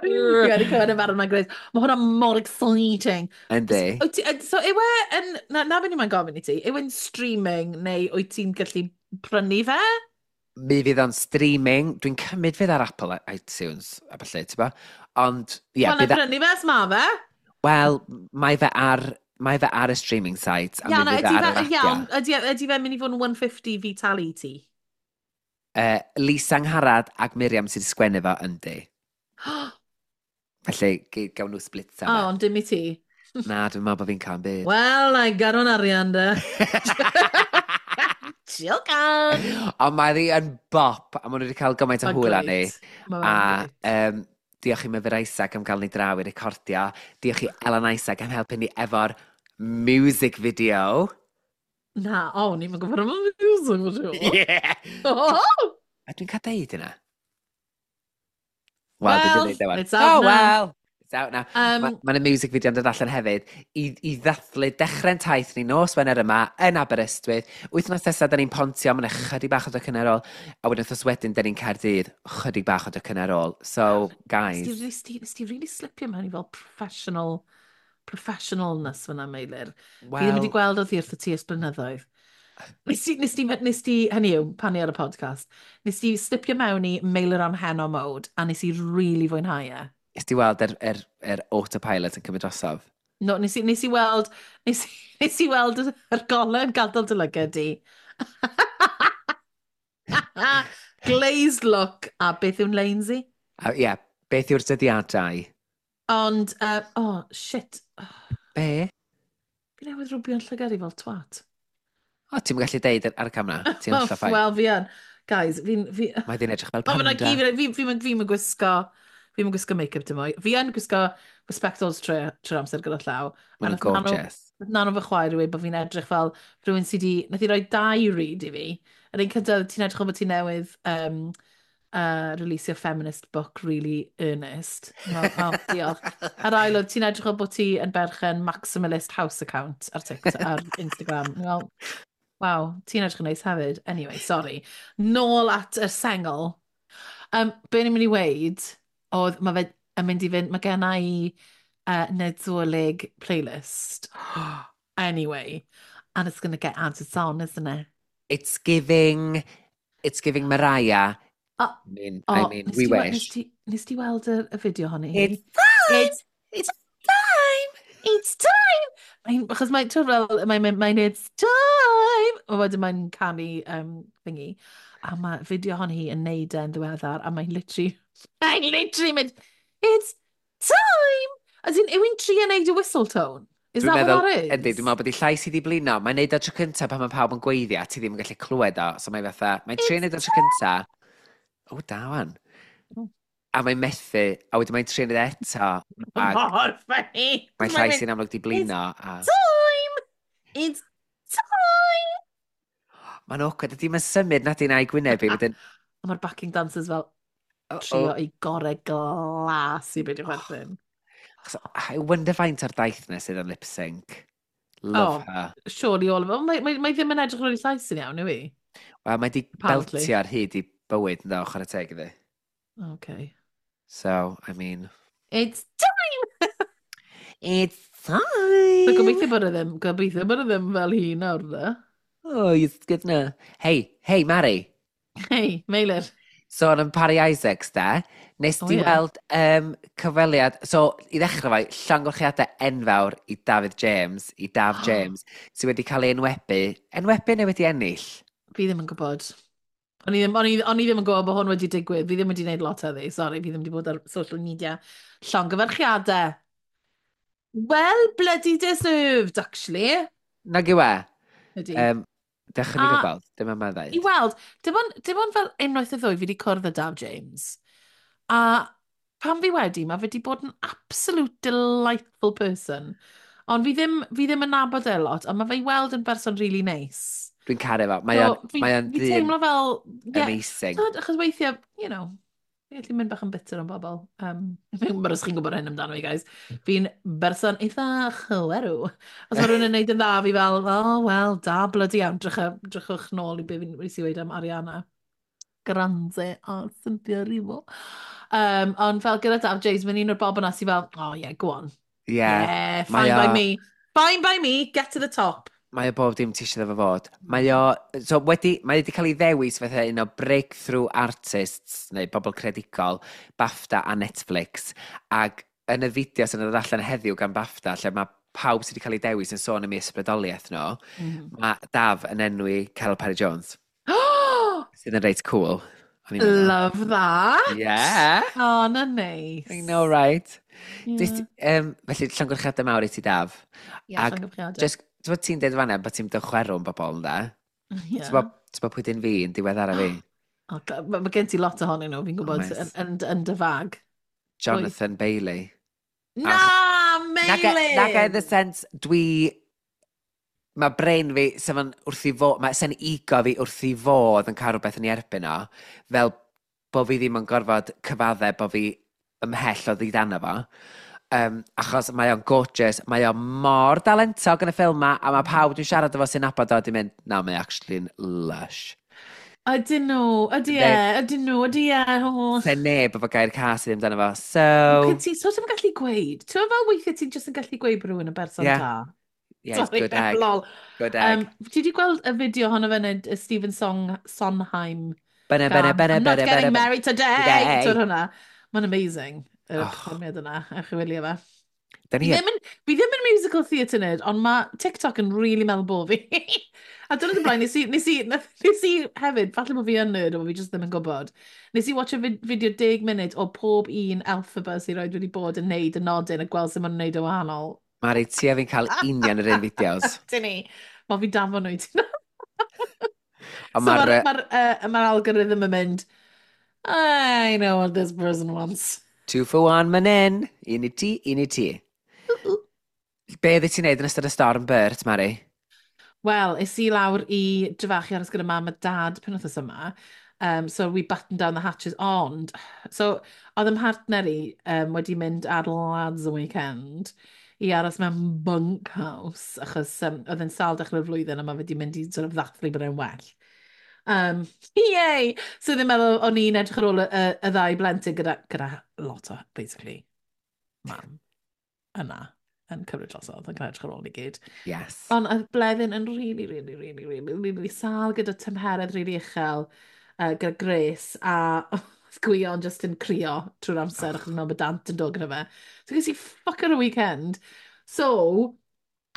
Fi wedi clywed yn barod, mae'n grêt. Mae hwnna mor exciting. Yndi. So, yw e yn... Na beth ni'n gofyn i ti, yw e'n streaming neu wyt ti'n gallu prynu fe? Mi fydd o'n streaming. Dwi'n cymryd fydd ar Apple iTunes a falle, ti'n bo? Ond, ie, Wel, na bydd... prynu fe, os ma fe. Wel, mae fe ar... Mae fe ar y streaming site, a Ia, mi na, fydd e ydy ar yr fe, apia. iawn, ydy fe'n mynd i fod yn 150 fi talu i ti? Lisa Angharad ac Miriam sydd wedi sgwennu fo yndi. Felly, gawn nhw split O, am e. ond dim i ti. Na, dwi'n meddwl bod fi'n cael yn byd. Wel, na i gadw'n arian de. Jocan! Ond mae ddi yn bop, a maen nhw wedi cael gymaint o Mae'n hwyl arni. grêt. Mae A fe'n grêt. Diolch i Myfyr Isaac am gael ni draw i recordio. Diolch i Ellen Isaac am helpu ni efo'r music video. Na, o, ni'n gwybod am y music video. Yeah! Oh! A dwi'n cael deud yna? Wel, dwi Well, wedi deud e wan. it's out Oh, now. well! It's out now. Mae yna music video yn dod allan hefyd i ddathlu dechrau'n taith ni nos Wener yma yn Aberystwyth. Wythnos nesaf, da ni'n Pontio, mae'n chydig bach o docyn ar ôl. A wedyn wythnos wedyn, da ni'n Caerdydd, chydig bach o docyn ar ôl. So, guys. Nes ti really slipio mewn i fel professionalness fyna, Meilir. Fi ddim wedi Wel, gweld oddi wrth y ti ers blynyddoedd. Nes ti, hynny yw, pan ni ar y podcast, nes ti slipio mewn i Meilir am Heno mode, a nes i really fwynhau e. Nes ti weld yr autopilot yn cymryd drosodd? No, nes i weld yr golau yn gadael dy lygad di. Glazed look, a beth yw'n leins i? A ie, yeah, beth yw'r dyddiadau? Ond, oh, shit. Be? Fi newydd rwbio'n llygad i fel twat. O, ti'n gallu deud ar y camera. Ti'n hollol fine. Wel, fi yn. Guys, fi'n... Fi... Mae di'n edrych fel O, fyna panda. gyd, fi fi'n gwisgo make-up dim mwy. Fi yn gwisgo fy spectols trwy'r amser gyda llaw. A Mae'n nath Nano, gorgeous. Nano fy chwaer i weud bod fi'n edrych fel rhywun sydd wedi... Nath i roi dau read i fi. Yr un cyntaf, ti'n edrych fel bod ti newydd releasio feminist book really earnest. Well, oh, diolch. A'r ail oedd, ti'n edrych fel bod ti yn berchen maximalist house account ar TikTok, ar Instagram. Well, wow, ti'n edrych yn neis hefyd. Anyway, sorry. Nôl at y sengl. Be ni'n mynd i weud oedd, mae fe yn mynd i fynd, mae gen i Nadolig playlist. Anyway, and it's going to get added on, isn't it? It's giving Mariah. O, I o, mean, nes we ti wish. Nes ti weld y fideo honni? It's time! It's, It's time! It's time! Mae'n, achos mae'n, ti'n fel, mae'n "It's time!" A wedyn mae'n canu thingy. A mae fideo hon hi yn neud e'n ddiweddar, a mae'n literally mynd, "It's time!" As in, yw hi'n trio neud y whistle tone? Is Dwi'n that meddwl, what that is? Yndi, dwi'n meddwl bod ei llais i di blino. Mae'n neud o tro cyntaf pan mae pawb yn gweiddi a ti ddim yn gallu clywed o. So mae'n fatha, mae'n trio It's neud o tro cyntaf. O, da wan. Oh. A mae'n methu, a wedyn mae'n trio neud e eto. Ac mor funny. mae'n Mae'n llais mynd, i'n amlwg di blino. A "Time! It's time!" Mae'n awkward, ydy mae'n symud na di na i gwyneb i. Wedyn, A mae'r backing dancers fel oh, trio oh. i gorau glas i beidio chwerthin. Achos I wonder faint o'r daith na sydd yn lip sync. Love Oh. her. Surely all of it. Mae, mae ddim yn edrych ar ei llais yn iawn, yw i? Wel, mae di Apparently. beltio ar hyd i bywyd yn ddo, chwarae teg iddi. Okay. So, I mean. It's time! It's time! So gobeithio bod e ddim fel hi nawr, de. Oh, it's good na. Hey, hey, Mari. Hey, Meilir. Sôn am Parry Isaacs, de. Nes O, di ie. weld cyfweliad. So, i ddechrau fai, llongyfarchiadau enfawr i David James, i Daf James, sydd wedi cael ei enwebu. Enwebu neu wedi ennill? Fi ddim yn gwybod. O'n i ddim yn gwybod bod hwn wedi digwydd. Fi ddim wedi gwneud lot heddi, sorry. Fi ddim wedi bod ar social media. Llongyfarchiadau. Well bloody deserved, actually. Nag yw e? Ydy. Dechrau ni A- gweld, dim yma I ddeud. weld, dim ond fel unwaith y ddwy fi wedi cwrdd â Daf James. A pan fi wedi, mae fe wedi bod yn absolute delightful person. Ond fi ddim yn nabod e lot, ond mae fe i weld yn berson really nice. Dwi'n caru fo. Mae So, o'n fi, mae o'n fi ddyn teimlo fel, yeah, amazing. Tyd, achos weithiau, fi gallu mynd bach yn bitter am bobl. Fi'n gwybod os chi'n gwybod hyn amdano fi, guys. Fi'n berson eitha chwerw. Os mae rhywun yn neud yn dda, fi fel, "Oh, well, da bloody iawn." Drychwch nôl i be fi'n nes i weud am Ariana Grande a Cynthia Erivo. Ond fel gyda Daf James, mae'n un o'r bobl yna sy'n fel, "Oh yeah, go on." Yeah. Yeah, Mae fine by me. Fine by me, get to the top. Mae o bob dim ti eisiau fo fod. Mae o, so wedi, mae wedi cael ei ddewis fatha un o breakthrough artists, neu bobl creadigol, BAFTA a Netflix. Ac yn y fideo sy'n dod allan heddiw gan BAFTA, lle mae pawb sydd wedi cael ei dewis yn sôn am ei ysbrydoliaeth nhw, mae Daf yn enwi Caryl Parry Jones, sydd yn reit cool, o'n i'n meddwl. Love that! Yeah! Oh, na neis. I know, right? Yeah. Just, felly, llongyfarchiadau mawr i ti, Daf. Yeah, Ac llongyfarchiadau. Just, ti'n bod ti'n deud fan'na bod ti'n mynd chwerw yn bobl, ynde? Yeah. Ti'n bod pwy dyn fi yn diweddara fi? Oh, mae gen ti lot ohonyn nhw, fi'n gwybod, Oes. yn dy fag. Jonathan Bailey. Na, Naga, Meilin! naga in the sense, dwi... Mae brain fi, sef yn wrth i fod, mae sen ego fi wrth i fod yn cael rhywbeth yn ei erbyn o, fel bod fi ddim yn gorfod cyfadde bod fi ymhell o ddidano fo. Achos mae o'n gorgeous, mae o mor dalentog yn y ffilm ma, a mae pawb dwi'n siarad efo sy'n nabod o di mynd, na, mae actually'n lush. Ydyn nhw, ydy e, ydyn nhw, ydy e. Oh. Se neb efo gair cas i ddim amdano fo. So, Ti sort of yn gallu gweud. Ti'n meddwl fel weithiau ti'n just yn gallu gweud bod rhywun yn berson Yeah. da? Yeah, it's Sorry, good egg. lol. Good egg. Ti wedi gweld y fideo honno fe yn y Stephen Sondheim Bene, bene, gan bene, I'm not bene, getting bene, bene. married today! Today. Ti'n hwnna? Mae'n amazing, y Oh. perfformiad yna. Ewch i wylio fe. Da Fi ni ddim yn musical theatre nerd, ond mae TikTok yn really meddwl bo fi. A dyna y blaen, nes i hefyd, falle bod fi yn nerd, ond fi just ddim yn gwybod. Nes i watch a fideo 10 munud o pob un Elphaba sy'n roed wedi bod yn neud y nodyn a gweld sut maen nhw'n neud o wahanol. Mari, ti a fi'n cael union yr un fideos. Dyn ni. Mae fi danfon nhw i ti. Ond So mae'r... mae'r algorithm yn mynd, "I know what this person wants." Two for one, man in. Un i ti, un i ti. Be ddyn ti'n neud yn ystod y storm Bert, Mari? Wel, es i lawr i Dryfach i aros gyda mam a dad penwythnos yma. So we battened down the hatches, ond... So, oedd 'y mhartner i wedi mynd ar lads y weekend i aros mewn bunkhouse, achos oedd e'n sâl dechrau'r flwyddyn a mae wedi mynd i sort of ddathlu bod e'n well. Yay! So ddim meddwl o'n i'n edrych ar ôl y ddau blentyn gyda lot o, basically, mam yna yn cymryd drosodd yn edrych ar ôl ni gyd. Yes. Ond oedd Bleddyn yn really, really, really, really, really sâl gyda tymheredd really uchel, gyda Grace, a oedd Gwion just yn crio trwy'r amser achos mewn bod dant yn dod gyda fe. So ges i fucker o weekend. So,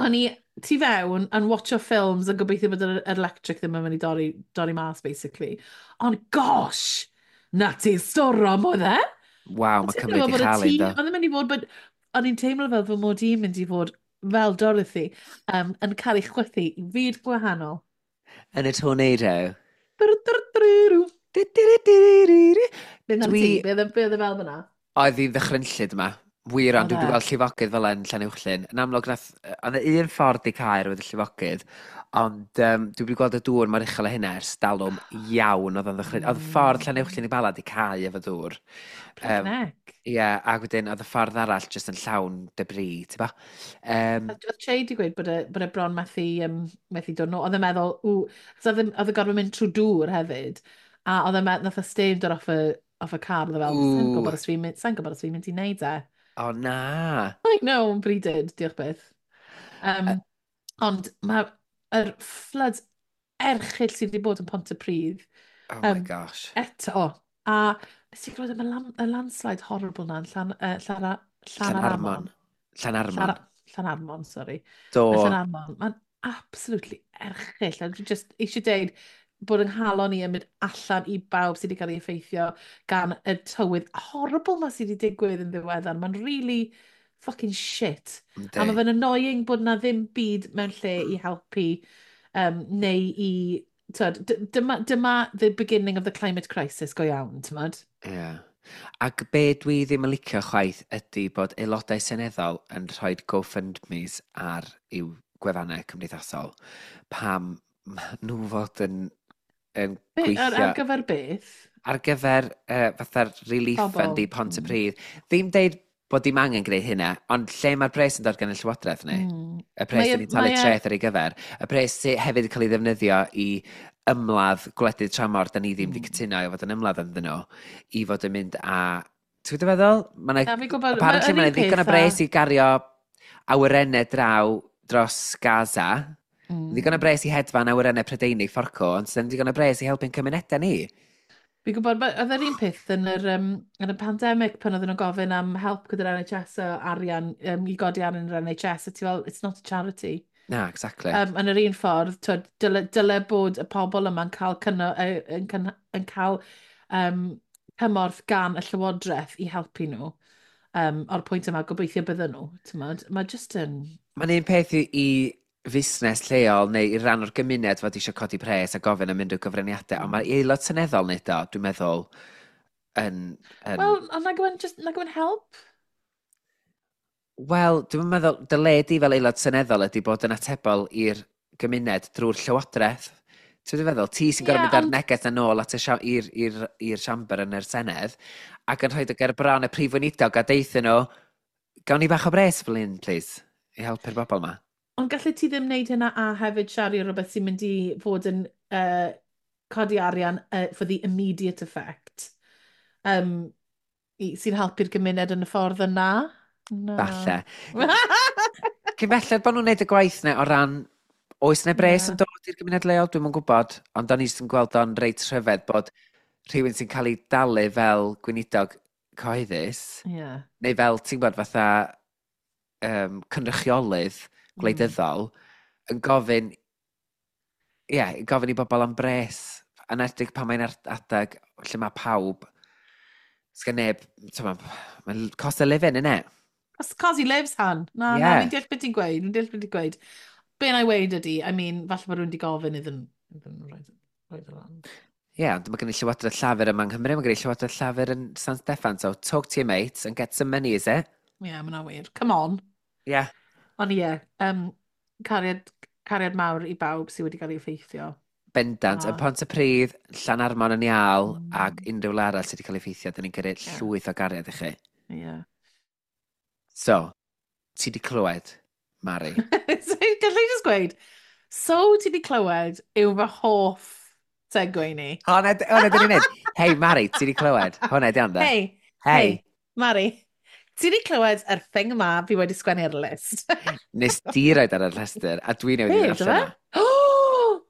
o'n i tu fewn yn watcho ffilms yn gobeithio bod yr electric ddim yn mynd i dorri mas, basically. Ond gosh, na ti storom oedd e? Waw, mae Ti'n Cymru meddwl di bod y chael tŷ- un, do. Oedd yn mynd i fod, but o'n i'n teimlo fel fy mod i'n mynd i fod fel Dorothy, yn cael ei chwythu i fyd gwahanol. Yn y tornado. Brw-drw-drw. Du-du-du-du-du-du. Beth am ti? Beth oedd e fel fyna? Oedd hi ddychrynllyd yma. Wir, ond Oedd dwi wedi e? gweld llifogydd fel yn Llanuwchllyn. Yn amlwg, nath, oedd e un ffordd i cael oedd y llifogydd, ond dwi wedi gweld y dŵr mor uchel â hynna ers dalwm iawn oedd o'n ddychryn. Oedd ffordd Llanuwchllyn i Bala di cau efo dŵr. Flipping heck. Ie, yeah, ac wedyn oedd y ffordd arall jyst yn llawn debris, ti'n ba? Oedd Che di gweud bod e bron methu dod nôl. Oedd e'n meddwl, ww, achos oedd e gorfod mynd trwy dŵr hefyd. A oedd e'n meddwl, nath y steam dod off y car, oedd e fel, sa'n Ww. gwybod os fi'n mynd, sa'n gwybod os fi'n mynd i wneud e. O na. I know, but he did, diolch byth. Ond mae'r floods erchyll sydd wedi bod yn Pontypridd Oh my gosh. eto. A nes i glywed am y landslide horrible na yn Llanarmon. Llanarmon. Llanarmon. Llanarmon, sorry. Do. Yn Llanarmon. Mae'n absolutely erchyll. A dwi just eisiau deud bod yng nghalon i yn mynd allan i bawb sydd wedi cael ei effeithio gan y tywydd horrible ma sydd wedi digwydd yn ddiweddar. Mae'n really fucking shit. Yndi. A mae fe'n annoying bod na ddim byd mewn lle i helpu neu i... Tyd, dyma the beginning of the climate crisis go iawn, t'mod? Ie. Yeah. Ac be dwi ddim yn licio chwaith ydy bod aelodau seneddol yn rhoi GoFundMes ar i'w gwefannau cymdeithasol. Pam ma' nhw fod yn Be, gweithio ar gyfer beth? Ar gyfer fatha'r relief Pobl. fund i Pontypridd. Ddim deud bod dim angen gwneud hynna, ond lle mae'r pres yn dod gan y Llywodraeth ni? Y pres dyn ni'n talu treth ar ei gyfer. Y pres sydd hefyd yn cael ei ddefnyddio i ymladd gwledydd tramor, da ni ddim wedi cytuno i fod yn ymladd ynddyn nhw, i fod yn mynd a... Ti'n gwybod feddwl? Ma' 'na Na, fi'n gwybod, apparently yr mae un 'na ddigon o peth bres i gario awyrennau draw dros Gaza. Ddigon o bres i hedfan awyrennau Prydeinig fforco, ond sydd ddim digon o bres i helpu'n cymunedau ni. Fi'n gwybod, oedd yr un peth yn y pandemig pan oedden nhw'n gofyn am help gyda'r NHS o arian, i godi arian yr NHS, a ti fel, "It's not a charity." Na, exactly. Yn yr un ffordd, twyd, dyle bod y pobl yma'n cael, cynno, yn cael cymorth gan y llywodraeth i helpu nhw. O'r pwynt yma, gobeithio bydden nhw. T'mod, mae just yn. Mae'n un peth i fusnes lleol neu i ran o'r gymuned fod eisiau codi pres a gofyn am unrhyw gyfraniadau, ond mae aelod seneddol wneud o, dwi'n meddwl, yn. Wel, ond nag yw'n just, nag yw'n help? Wel, dwi'n meddwl, dyle di fel aelod seneddol ydy bod yn atebol i'r gymuned drwy'r llywodraeth. Ti'n feddwl, ti sy'n gorfod mynd ar neges na nôl at y i'r siamber yn yr Senedd ac yn rhoi dy ger bron y prif weinidog a deutha nhw, "Gawn ni bach o bres fel un, please, i helpu'r bobl yma." Ond gallu ti ddim wneud hynna a hefyd siario rhywbeth sy'n mynd i fod yn codi arian for the immediate effect, sy'n helpu'r gymuned yn y ffordd yna? Na. Falle. Cyn belled bod nhw'n neud y gwaith na o ran oes 'na bres yn dod i'r gymuned leol, dwi'm yn gwybod, ond o'n i jyst yn gweld o'n reit rhyfedd bod rhywun sy'n cael ei dalu fel gweinidog cyhoeddus, neu fel, ti'n gwybod, fatha cynrychiolydd gwleidyddol, yn gofyn, ie, yeah, gofyn i bobl am bres, yn edrych pan mae'n adeg lle mae pawb, sgan neb, ti'n mae'n cost of living, innit? Cos he lives, han. Na, na, fi'n deall beth ti'n gweud, fi'n deall beth ti'n gweud. Be na i weud ydy, I mean, falle bod rhywun wedi gofyn iddyn nhw rhoi y lan. Ie, yeah, ond mae gen i Llywodraeth Llafur yma yng Nghymru, mae gen i Llywodraeth Llafur yn San Steffan, so talk to your mates and get some money, is it? Ie, yeah, mae'n wir. Come on. Ond ie, yeah, cariad, cariad mawr i bawb sydd wedi cael ei effeithio. Bendant. Yn Pontypridd, Llanarmon yn Iâl, ac unrhyw le arall sydd wedi cael ei effeithio, dyn ni'n gyrru llwyth o gariad i chi. So, ti di clywed, Mari? So, gallai just gweud, "So ti di clywed" yw fy hoff segue ni. Hwna, hwnna dyn ni'n neud. "Hei, Mari, ti di clywed?" Hwna di ond, de. Hei, Hei. Hei, Mari, ti di clywed yr thing yma fi wedi sgwennu ar y list? Nes di roed ar y rhestr, a dwi newydd i Be, ddarllen do o. fe? Oh!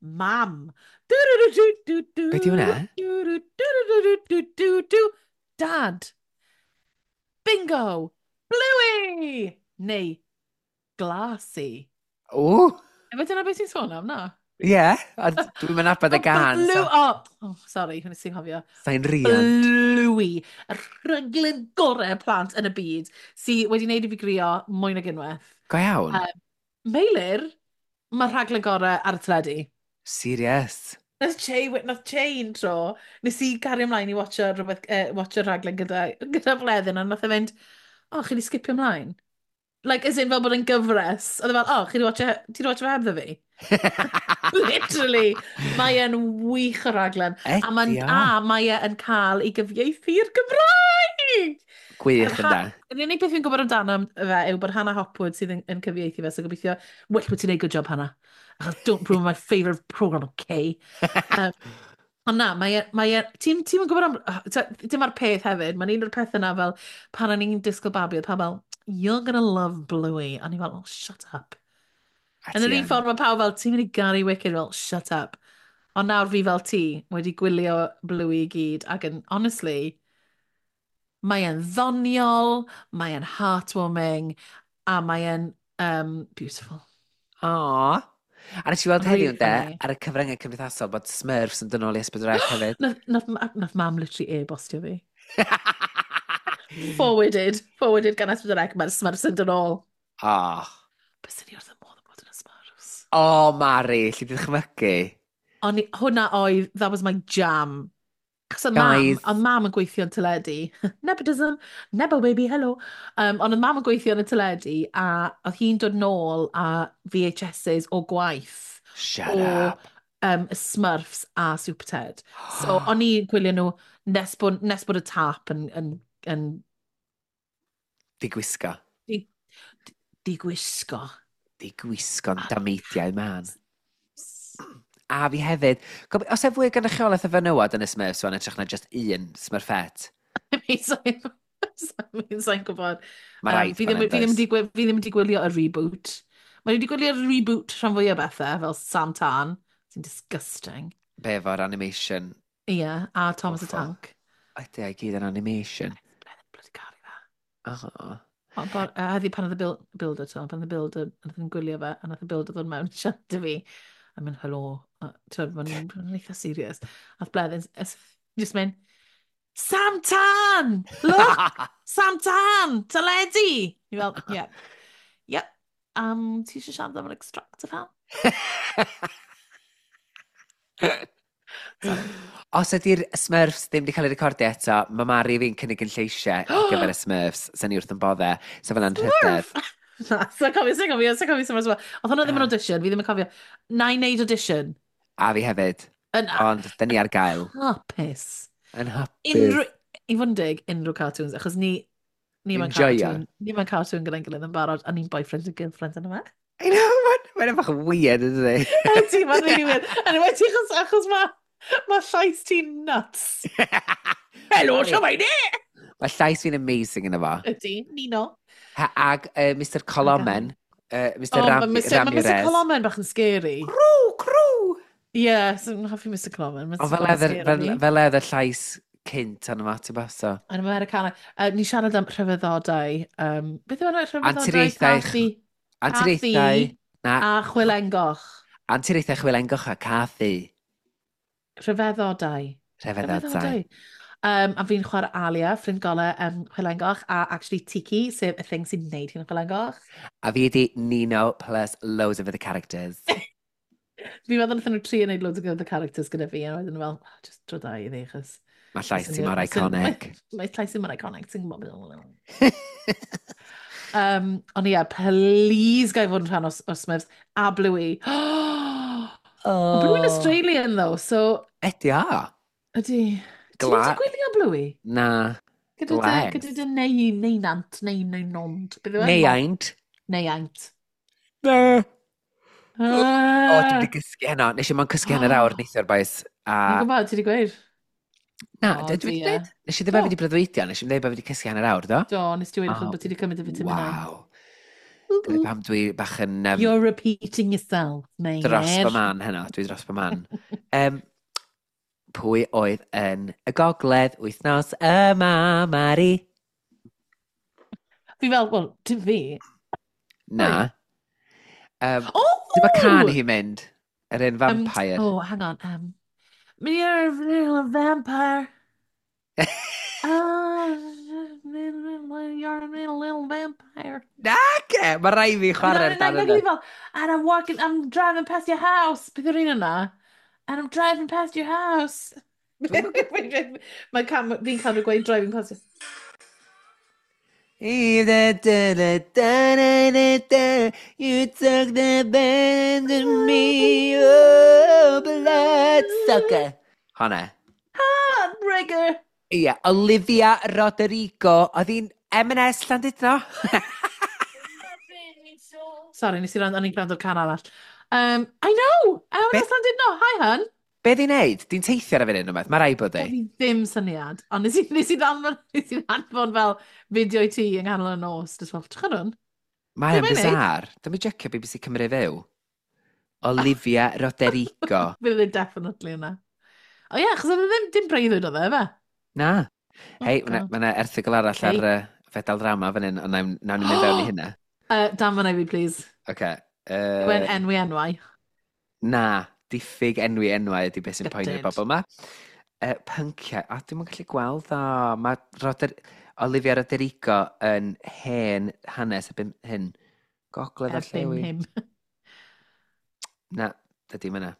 Mam. Be di hwnna? Dad. Bingo. Bluey. Neu Glassy. Ww! Efe dyna beth ti'n sôn am, na? Ie, yeah, ond dwi'n mynd nabod y gan. Blue... So, Oh, sorry, hwnna sy'n cofio. Sa'n riant. Bluey, y rhaglen gorau plant yn y byd, sydd wedi wneud i fi grio mwy nag unwaith. Go iawn. Meilir, mae'r rhaglen gorau ar y teledu. Serious. Nath Che un tro, nes i gario ymlaen i watcho, rhywbeth, watcho rhaglen gyda Bleddyn, a nath e fynd, "Oh, chi di skipio ymlaen?" Like, as in fel bod yn gyfres. Oedd e fel, "Oh, chi di watcho, ti di watcho fe hebddo fi?" Literally, mae e'n wych o raglen. Ydi o. A mae e yn cael ei gyfieithu i'r Gymraeg! Gwych Yr ynda. Yr unig beth fi'n gwybod amdano fe yw bod Hannah Hopwood sydd yn cyfieithu fe, so gobeithio, well bod ti'n neud good job, Hannah. Achos don't ruin my favourite programme, okay? Ond na, mae e, ti'n gwybod am, dim ar peth hefyd, mae'n un o'r pethau na fel, pan o'n i'n disgwyl babi, oedd pawb fel, "You're gonna love Bluey." A o'n i fel, "Oh, shut up." A Yn ti yr un yn. ffordd mae pawb fel, "Ti'n mynd i garu Wicked," fel, "Shut up." Ond nawr fi fel ti, wedi gwylio Bluey i gyd, ac yn, honestly, mae e'n ddoniol, mae e'n heartwarming, a mae e'n beautiful. Aw. A nes i weld Really heddiw, ynde, funny. ar y cyfryngau cymdeithasol bod Smurfs yn dod nôl i S4C hefyd. Nath mam literally e-bostio fi. Forwarded gan S4C, mae'r Smurfs yn dod nôl. Oh. Byswn i wrth y modd yn bod yn y Smurfs. O, Mari, lle di ddychmygu? Ond hwnna oedd, that was my jam. Cos oedd mam, Guys. oedd mam yn gweithio yn teledu. Nepotism, Nebo baby, hello. Ond oedd mam yn gweithio yn y teledu a oedd hi'n dod nôl a VHSs o gwaith Shut o up. Smurfs a Super Ted. So o'n i'n gwylio nhw nes bod y tap yn Di gwisgo. Di gwisgo. Di gwisgo'n dameidiau man. A fi hefyd, os e fwy o gynrychiolaeth o fenywod yn y Smurfs wan, edrych na just un Smurfette? I mean, sa'n gwybod. Mae rhaid Fi ddim, bod fi ddim wedi gwylio y reboot. Mae wedi gwylio'r reboot rhan fwy o bethau, fel Sam Tan, sy'n disgusting. Be efo'r animation? Ie, yeah, a Thomas the Tank. Ydy, i gyd yn animation. Bloody caru fe. Oh. Ond heddi pan oedd y builder, to, pan oedd y builder, nath yn gwylio fe, a nath y builder ddod mewn i siarad i fi. A mynd, helo, ti'n mae'n eitha serious. Ath Bleddyn, just mynd, Sam Tan! Look! Sam Tan! Teledu! Ni fel, yeah. Yep. Ti eisiau siarad am yr extractor fan? Os ydy'r Smurfs ddim wedi cael ei recordio eto, mae Mari fi'n cynnig yn lleisiau ar gyfer y Smurfs, sy'n ni wrth yn bodde, so fel anrhydedd. Na, sa'n cofio, sa'n cofio, sa'n cofio Smurfs. Oedd hwnna ddim yn audition, fi ddim yn cofio. Na i wneud audition. A fi hefyd. Ond, dyn ni ar gael. Hapus. Yn hapus. Unrhyw, i fod yn deg, unrhyw cartoons, achos ni, ni mewn cartoon, ni mewn cartoon gyda'n gilydd yn barod, a ni'n boyfriend and girlfriend yn yma. I know, mae'n bach yn weird, ydy? Ydy, mae'n really weird. Yn enwedig achos mae ma llais ti'n nuts. Helo, siwmai ni! Mae llais fi'n amazing yn efo. Ydy, Nino. Ha, ag Mr Colomen, Mr oh, Ram Mr. Ramirez. Mae Mr Colomen bach yn scary. Crw, crw! Ie, yeah, so, hoffi Mr Colomen. Ond fel oedd y llais cynt arno fo, ti'n so. Yn Americana. Ni siarad am rhyfeddodau. Beth yw enw rhyfeddodau? Anturiaethau. Anturiaethau. A Chwilengoch. Anturiaethau Chwilengoch a Cathy. Rhyfeddodau. Rhyfeddodau. A fi'n chwarae Alia, ffrind golau Chwilengoch, a actually Tiki, sef y thing sy'n neud hi'n Chwilengoch. A fi ydi Nino plus loads of other characters. Fi'n meddwl wnaethon nhw trio neud loads of other characters gyda fi, a wedyn fel, oh, just dro da i ddi, achos... Mae llais ti mor iconic. Mae llais ti mor iconic, ti'n gwybod beth. Ond ie, please gai fod yn rhan o Smurfs. A Bluey. Oh. Bluey'n Australian, though, so... Ydy a. Ydy. Ti wedi gwylio Bluey? Na. Gyda dy neu, neu nant, neu neu nond. Neu aint. Neu aint. Na. O, dwi wedi gysgu heno. Nes i mo'n cysgu hanner awr neithiwr, boys. Dwi'n gwybod, ti wedi gweud? Na, dwi wedi dweud. Nes i ddim bod fi wedi breuddwydio, nes i ddim bod fi wedi cysgu hanner awr, do? Do, nes ti wedi bod ti wedi cymryd y vitamin Waw. Dyna pam dwi bach yn... You're repeating yourself, Meilir. Dros fy man heno, dwi dros fy man. Pwy oedd yn y gogledd wythnos yma, Mari? Fi fel, wel, dim fi. Na. Oh! Dyma can hi'n mynd, yr un vampire. Oh, hang on. You're a little vampire. You're a little vampire. Nace! Mae rai fi chwarae'r dan yna. And I'm walking, I'm driving past your house. Beth yw'r un yna? And I'm driving past your house. Mae fi'n cael nhw gweud driving past your... You took the best of me, oh, blood sucker. Honna. Heartbreaker. Ie, yeah, Olivia Rodrigo, oedd hi'n M&S Llandudno? Sorry, nes i rand, o'n i'n gwrando'r can arall. I know! M&S Llandudno, hi hun. Be di'n neud? Di'n teithio ar y funud rhywbeth? Mae rai bod di. Fi ddim syniad, ond nes i ddanfon fel fideo i ti yng nghanol y nos. Just fel, trych hwn. Mae o'n bizar. Dwi'n mynd jecio BBC Cymru Fyw. Olivia Rodrigo. Fydd e definitely yna. O ie, achos oedd e ddim dim breuddwyd oedd e, fe? Na. Hei, mae yna erthygl arall ar fedal drama fan hyn, ond nawn ni mynd fewn i hynna. Dan fan i fi, please. Oce. Wen enwi enwau. Na. Diffyg enwi enwau ydy beth sy'n poeni'r bobl yma. Pynciau, a dwi'm yn gallu gweld o. Mae Olivia Rodrigo yn hen hanes erbyn hyn. Gogledd a llewi. Erbyn hyn. Na, dydy yna.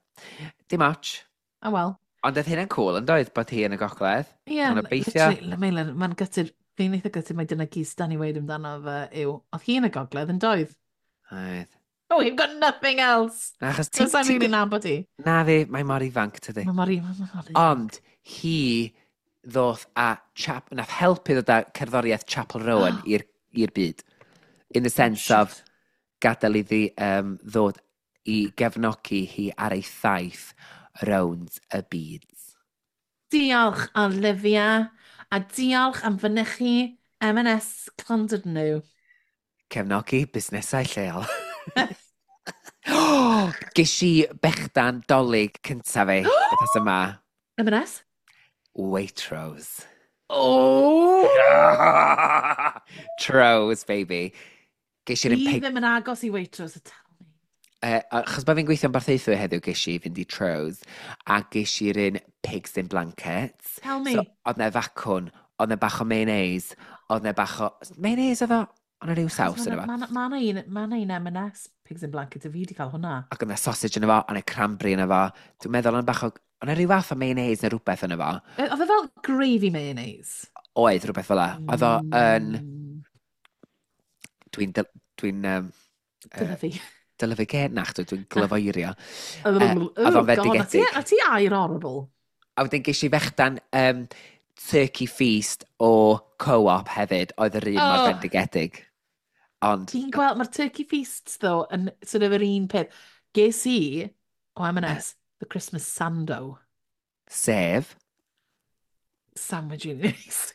Dim ots. Oh well. Ond oedd hynna'n cool, yn doedd, bod hi yn y gogledd. Ie, yeah, literally, mae'n gutted, fi'n eitha gutted mai dyna gyd da ni weud amdano fe yw, oedd hi yn y gogledd yn doedd? Oedd. Oh, you've got nothing else. Na, achos ti... Sa'n rili nabod i. Na fi, mae mor ifanc, tydi. Mae mor ifanc. Ond hi ddoth a chap, nath helpu ddod â cerddoriaeth Chappell Roan i'r byd. In the sense of gadael iddi ddod i gefnogi hi ar ei thaith rownd y byd. Diolch, Olivia, a diolch am fynychu M&S Llandudno. Cefnogi busnesau lleol. Ges i bechdan Dolig cyntaf fi, beth yma. M&S? Waitrose. Oh! Trose, baby. Ges i'r un Fi pig. ddim yn agos i Waitrose, tell me. Achos bod fi'n gweithio yn Barthaethwy heddiw, ges i fynd i Trose, a ges i'r un pigs in blankets. Tell me. So, oedd na facwn, oedd na bach o mayonnaise, oedd na bach o... Mayonnaise oedd o? Oedd na rhyw saws yna fo. Mae na un, ma na un M&S Pigs in Blankets, a fi wedi cael hwnna. Ac oedd na sausage yna fo, oedd na cranberry yna fo. Dwi'n meddwl oedd na bach o... Oedd na rhyw fath o mayonnaise neu rhywbeth yna fo. Oedd e fel gravy mayonnaise? Oedd rhywbeth fel la. Oedd o yn... Dwi'n Dyna fi. Dylyfu gen? Na, chdi, dwi'n glyfoerio. Oh, Oedd o'n God, a ti, fendigedig. a ti air horrible. A wedyn ges i fechdan turkey feast o Co-op hefyd, oedd yr un mor bendigedig. Ond, Ti'n gweld, mae'r turkey feasts, though, yn sort of yr un peth. Ges i, o M&S, the Christmas sando. Sef? Sandwich units.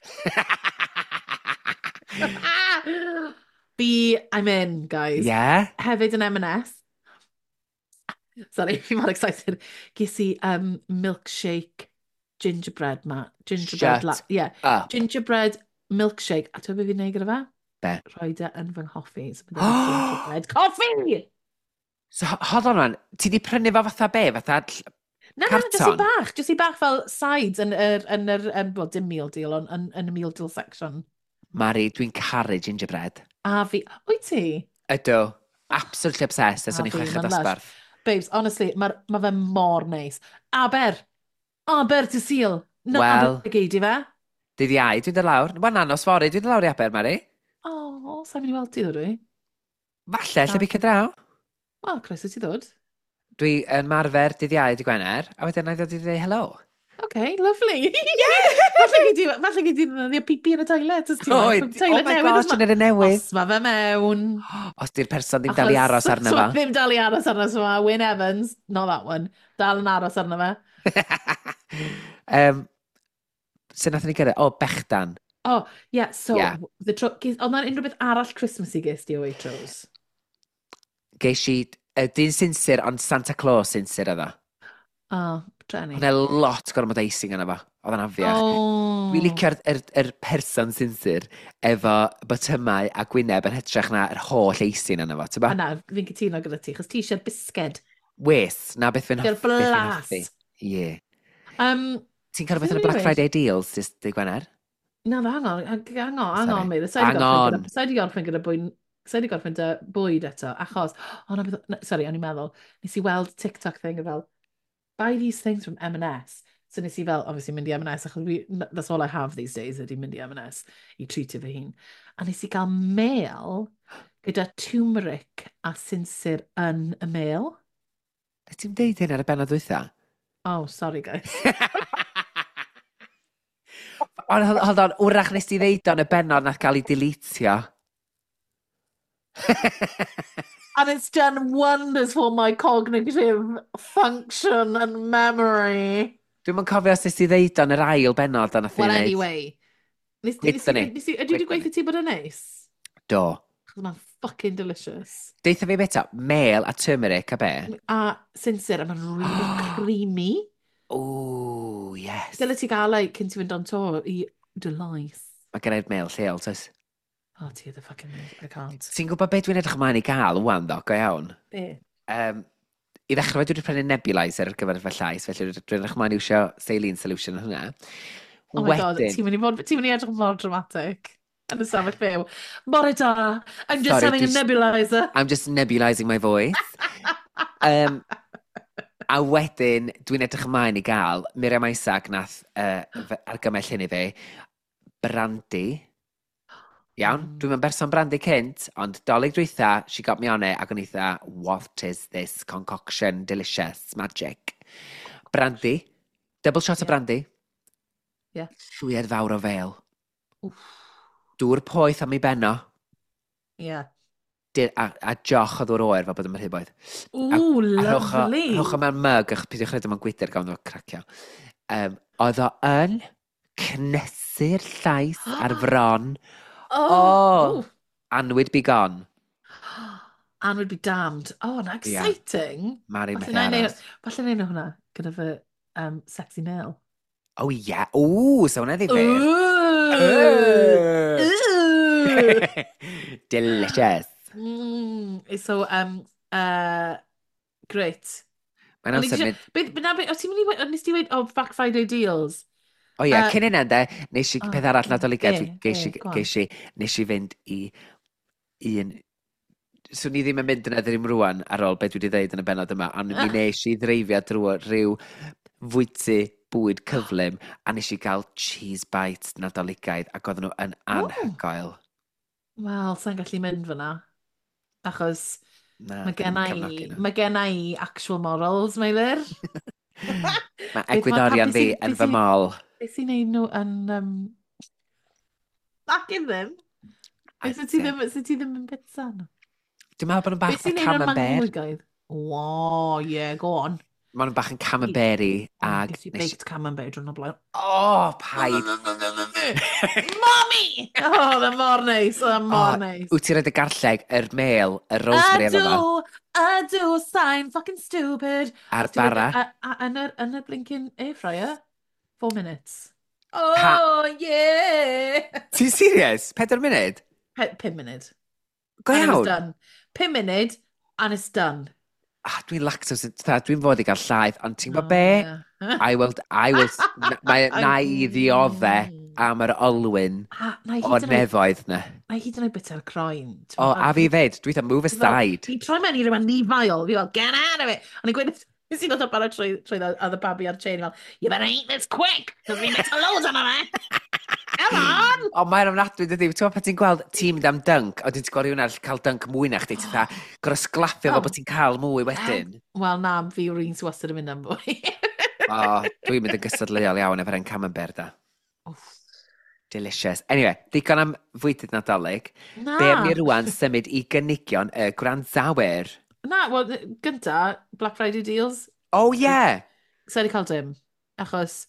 Fi, I'm in, guys. Yeah? Hefyd yn M&S. Sorry, fi mor excited. Ges i milkshake gingerbread ma. Gingerbread, Shut yeah. up. Gingerbread milkshake. A ti'n beth fi'n neud gyda fe? Be? Rhoi e yn fy nghoffi. So bydd e'n gingerbread coffee! So, hold on man, ti di prynu fo fatha be? Fatha Na, na, jyst i carton? bach. Jyst i bach fel sides yn yr, well, dim meal deal, ond yn y meal deal section. Mari, dwi'n caru gingerbread. A fi, wyt ti? Ydw. Absolutely obsessed ers A o'n i'n fi, chweched ma'n lush. dosbarth. Babes, honestly, mae ma fe mor neis. Aber! Aber dydd Sul! Na, Wel. Aber gei di fe? Dydd Iau, dwi'n dod lawr. Wel, na, nos fory, dwi'n dod lawr i Aber, Mari. O, oh, sa'n mynd i weld ti ddod dwi? Falle, lle bicio draw. Wel, croeso ti ddod. Dwi yn marfer dydd Iau, dydd Gwener, a wedyn na i ddod i ddweud hello. OK, lovely. Falle gei di ddefnyddio pipi yn y toilet. Os ti Oh, moyn. oh Toilet my newydd, gosh, os yn yr un newydd. Os ma fe mewn. Os di'r person ddim dal i aros arno so fo. Ddim dal i aros arno fo. Wyn Evans, not that one. Dal yn aros arno fe. Sut nathon ni gyrraedd? O, bechdan. Oh, yeah, so, the tro... Oedd na'n unrhyw beth arall Christmassy ges di o Waitrose? Geis i dyn sinsir, ond Santa Claus sinsir oedd o. Oh, treni. Oedd 'na lot gormod icing yna fo. Oedd o'n afiach. Oh. Dwi'n licio'r yr person sinsir efo botymau a gwyneb yn hytrach na yr holl icing yna fo, ti'n ba? A na, fi'n cytuno gyda ti, chos ti eisiau'r bisged. Wes, na beth fi'n Gyda'r beth fi'n blas. hoffi. Ie. Ti'n cael rhywbeth yn y Beth Black o'n i'n Friday deals, dydd dydd Gwener? Na, hang on, hang on, hang Sorry. on, mate. Hang on. Sa i 'di gorffen gyda bwyd, sa i 'di gorffen dy bwyd eto, achos, oh, na, beth, na, sorry, o'n i'n meddwl, nes i weld TikTok thing fel, "Buy these things from M&S." So nes i fel, obviously, mynd i M&S, achos fi, that's all I have these days, ydy mynd i M&S i treatio fy hun. A nes i gael mail gyda turmeric a sinsir yn y mail. Na ti'n deud hyn ar y bennod dwytha? Oh, sorry, guys. Ond hold on, wrach nes ti ddeud o'n y bennod nath gael ei deletio. And it's done wonders for my cognitive function and memory. Dwi'm yn cofio os nes ti ddeud o'n yr ail bennod a nath i Well, wneud. anyway. Gwedson ni. Nes i, ydy wedi Gwedson gweithio ti bod yn neis? Do. Achos mae'n fucking delicious. Deutha fi beth o, mel a turmeric a be? A sinsir, a mae'n really creamy. Ooh, yes. Dyle ti gael ei cyn ti fynd on tour i Dulais. Mae gen i'r mel lleol, toes. Oh, ti the fucking mail. I can't. Ti'n gwybod beth dwi'n edrych ymlaen i gael wan, ddo, go iawn? Be? I ddechrau, dwi wedi prynu nebulizer ar gyfer fy llais, felly dwi'n edrych ymlaen i iwsio saline solution yn hwnna. Oh my God, ti'n mynd i edrych mor dramatic yn y safell fyw. Bore da, I'm just Sorry, having a nebulizer. I'm just nebulising my voice. A wedyn, dwi'n edrych ymlaen i gael Miriam Isaac nath argymell hyn i fi, brandy. Iawn, dwi'n yn berson brandy cynt, ond Dolig dwytha, she got me on it, ac o'n eitha, "What is this concoction, delicious, magic?" Brandy, double shot o brandy. Llwyed fawr o fel. Wff. Dŵr poeth am ei benno. A joch o ddŵr oer fel bod yn rhy boeth. Ooh, A lovely. rhowch o mewn mug, ach peidiwch rhaid mewn gwydr gawn nhw cracio. Oedd o yn cnesu'r llais ar fron. Oh. Oh, annwyd be gone. And we'd be damned. Oh, na exciting. Yeah. Mari methu aros. Falle na i hwnna gyda fy sexy male. Oh, yeah. Ooh, so hwnna ddifyr. Ooh! Ooh! Delicious. So, great. Mae'n amser mynd. O, ti'n mynd i, nes ti weud, oh, Black Friday deals? O ie, cyn hynna, de, nes i peth arall Nadoligaidd, geis i, nes i fynd i un. Swn i ddim yn mynd yna ddim rwan ar ôl beth dwi wedi dweud yn y bennod yma, ond mi nes i ddreifio drwy rhyw fwyty bwyd cyflym, a nes i gael cheese bites Nadoligaidd, ac oedden nhw yn anhygoel. Wel, sa'n gallu mynd fyna, achos na, mae genna i actual morals, Meilir. Mae egwyddorion fi yn fy mol. Beth sy'n neud nhw yn Back in them. Sut ti ddim yn pizza nhw? Dwi'n meddwl bod nhw'n bach o camembert. Oh, yeah, go on. Maen nhw'n bach yn camembert ag. Ges i baked camembert drwy'n o blaen. Oh, paid. Mommy! Oh, oedd mor neis, oedd mor neis. Wyt ti'n rhaid y garlleg, yr mel, y rosemary efo fo? Ydw, sain fucking stupid. A'r bara. A yn y blinking air fryer, 4 minutes. Oh, yeah! Ti'n serious? 4 munud? 5 munud. Go And it was iawn? done. 5 munud, and it's done. Ah, dwi'n lactose, dwi'n fod i gael llaeth, ond ti'n gwybod be? I will, mae na i ddiodde am yr olwyn Na i o'r hyd yn oed, nefoedd na. na i hyd yn oed bit ar croen. O, a fi fyd, dwi'n dweud move aside. Fi'n troi mewn i rhywun nifaol. Fi fel, "Get out of it!" O'n i'n gweud, nes i ddod o bara trwy oedd y babi ar chain fel, "You better eat this quick, because we made a load on it. Come on!" O, mae'n ofnadwy, dydy. Ti'n gwybod pan ti'n gweld ti'n mynd am dunk, a ti'n gweld rhywun arall cael dunk mwy na chdi, ti'n fatha, gorau sglaffio fel bod ti'n cael mwy wedyn. Wel, na, fi yw'r un sy'n wastad yn mynd am fwy. O, dwi'n mynd yn gystadleuol iawn efo'r en camembert da. Wff. Delicious. Anyway, digon am fwydydd Nadolig. Na. Be am ni rwan symud i gynigion y gwrandawyr? Na, wel, gynta, Black Friday deals. Oh, yeah! Sa i wedi cael dim, achos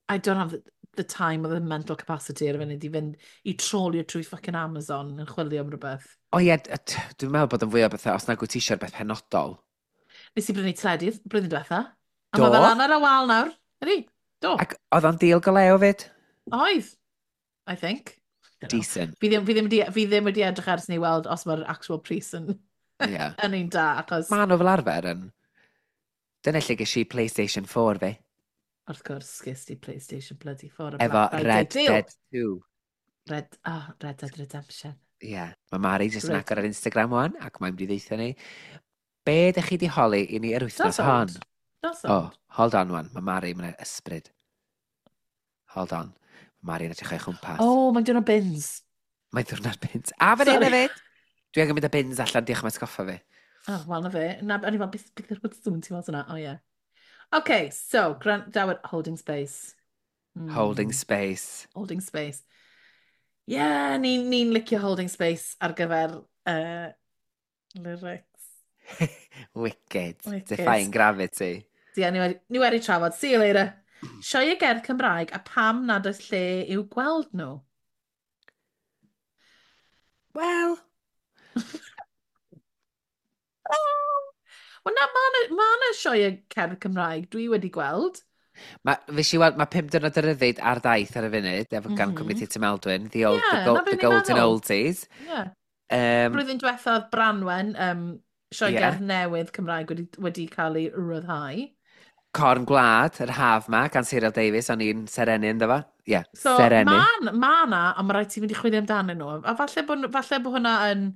I don't have the time or the mental capacity ar y funud i fynd i trolio trwy fucking Amazon yn chwilio am rhywbeth. O ie, dwi'n meddwl bod yn fwy o bethau, os nag wyt ti eisiau rhywbeth penodol. Nes i brynu teledu blwyddyn diwetha. A Do? mae fel lan ar y wal nawr. Ydy? Do. Ac oedd o'n deal go lew fyd? Oedd. I think. Dunno. Decent. Fi ddim wedi edrych ers ni weld os mae'r actual pris yn, yn un da, achos Maen nhw fel arfer yn. Dyna lle ges i PlayStation 4 fi. Wrth gwrs, ges ti PlayStation bloody 4 a Efo Black Friday Red deal. Dead 2. Oh, Red Dead Redemption. Ie. Yeah. Mae Mari jyst yn Great. agor ar Instagram wan, ac mae'n mynd i ddeutha ni. Be ydych chi di holi i ni yr wythnos That's hon? old. That's Oh, old. hold on wan. Mae Mari, mae'n ysbryd. Hold on. Mae Mari'n edrych o'i chwmpas. Oh, mae'n diwrnod bins. Mae'n diwrnod bins. A fan hyn Sorry. hefyd. Dwi angen mynd â bins allan, diolch am atgoffa fi. Oh, wel, na fe. Na, o'n i fel, beth yw'r sŵn ti'n meddwl yna? Oh, yeah. Okay, so, gwrandawyr, holding space. Holding space. Holding space. Yeah, ni'n ni licio holding space ar gyfer lyrics. Wicked. Wicked. Defying gravity. Ie, ni wedi trafod. See you later. Sioe gerdd Cymraeg a pam nad oes lle i'w gweld nhw? Wel, Wel na, mae 'na ma sioe cerdd Cymraeg dwi wedi gweld. Mae, fes i weld, mae 5 diwrnod o ryddid ar daith ar y funud, efo gan Cwmni Theatr Maldwyn, the, old, Ie, the, go, na be the ni'n golden meddwl. oldies. Yeah. Blwyddyn diwetha oedd Branwen, sioe gerdd newydd Cymraeg wedi cael ei ryddhau. Corn Gwlad, yr haf ma, gan Cyril Davies, o'n i'n serenu ynddo fo. Ie, yeah, So, serenu. ma na, ond mae rhaid ti fynd i chwilio amdanyn nhw. A falle bod hwnna yn,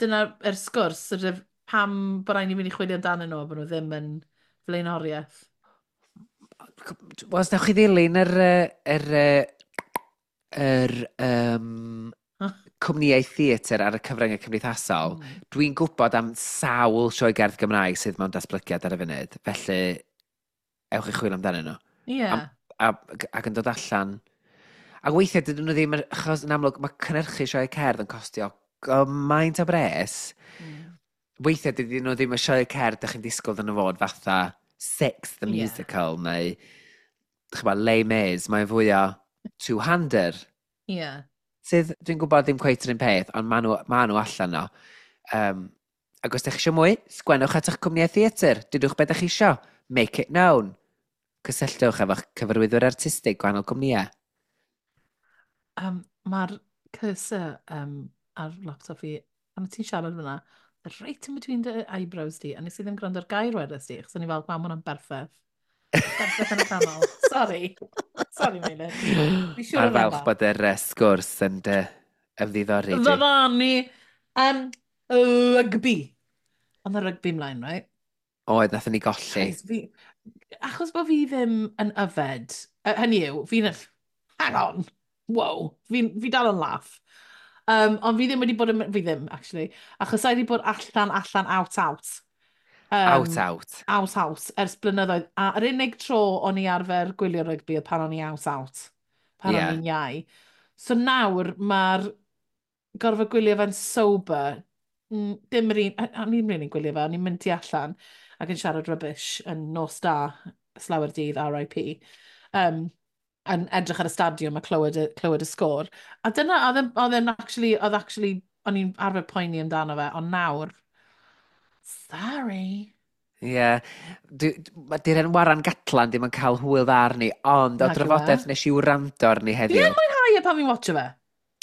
dyna'r sgwrs, sort of, pam bod rhaid ni fynd i chwilio amdanyn nhw, a bod nhw ddim yn flaenoriaeth. Wel, os newch chi ddilyn yr, yy, yr, yy, yr Huh? cwmnïau theatr ar y cyfryngau cymdeithasol, dwi'n gwybod am sawl sioe gerdd Gymraeg sydd mewn datblygiad ar y funud. Felly, ewch i chwilio amdanyn nhw. Ac yn dod allan. A weithiau dydyn nhw ddim, achos yn amlwg mae cynhyrchu sioe cerdd yn costio gymaint o bres. Weithiau dydyn nhw ddim y sioe cerdd dych chi'n disgwyl dyn nhw fod fatha Six the Musical neu ch'mod, Les Mis, mae'n fwy o two-hander. Sydd, dwi'n gwybod ddim cweit yr un peth, ond maen nhw allan no. Ac os ydych chi eisiau mwy, sgwennwch at eich cwmnïau theatr. Dudwch beth ydych chi isio. Make it known. Cysylltwch efo'ch cyfarwyddwyr artistig gwahanol cwmnïau. Mae'r cursor ar laptop fi, pan ti'n siarad fyna, right in between the eyebrows di, a nes i ddim gwrando ar gair wedys di, achos o'n i fel, "Wow, ma' hwnna'n berffaith. Berffaith yn y canol." Sorry. Sorry, Meilir. Fi siŵr Mae'n oedd e'n falch dda. bod yr sgwrs yn dy ymddiddori di. Ddyddani. Rugby. Ond y rugby mlaen, right? Oedd, nathon ni golli. Guys, fi, achos bod fi ddim yn yfed, hynny yw, fi'n... Hang on, wow, fi dal yn laff. Ond fi ddim wedi bod yn... Fi ddim, actually. Achos I wedi bod allan, allan, out, out. Out, out. Out, out, ers blynyddoedd. A yr unig tro o'n i arfer gwylio rygbi oedd pan o'n i out, out. Pan o'n i'n iau. So nawr mae'r gorfod gwylio fe'n sober, dim yr un, o'n i'n really gwylio fe, o'n i'n mynd tu allan ac yn siarad rubbish yn nos da, slawer dydd, RIP. Yn edrych ar y stadiwm a clywed y sgôr. A dyna, oedd e'n actually, oedd actually, o'n i'n arfer poeni amdano fe, ond nawr, sorry. Ie. Yeah. Di'r en Warren Gatland ddim yn cael hwyl dda arni, ond o Nag yw e. drafodaeth nes i wrando arni Fi heddiw. yn mwynhau e pan fi'n watcho fe.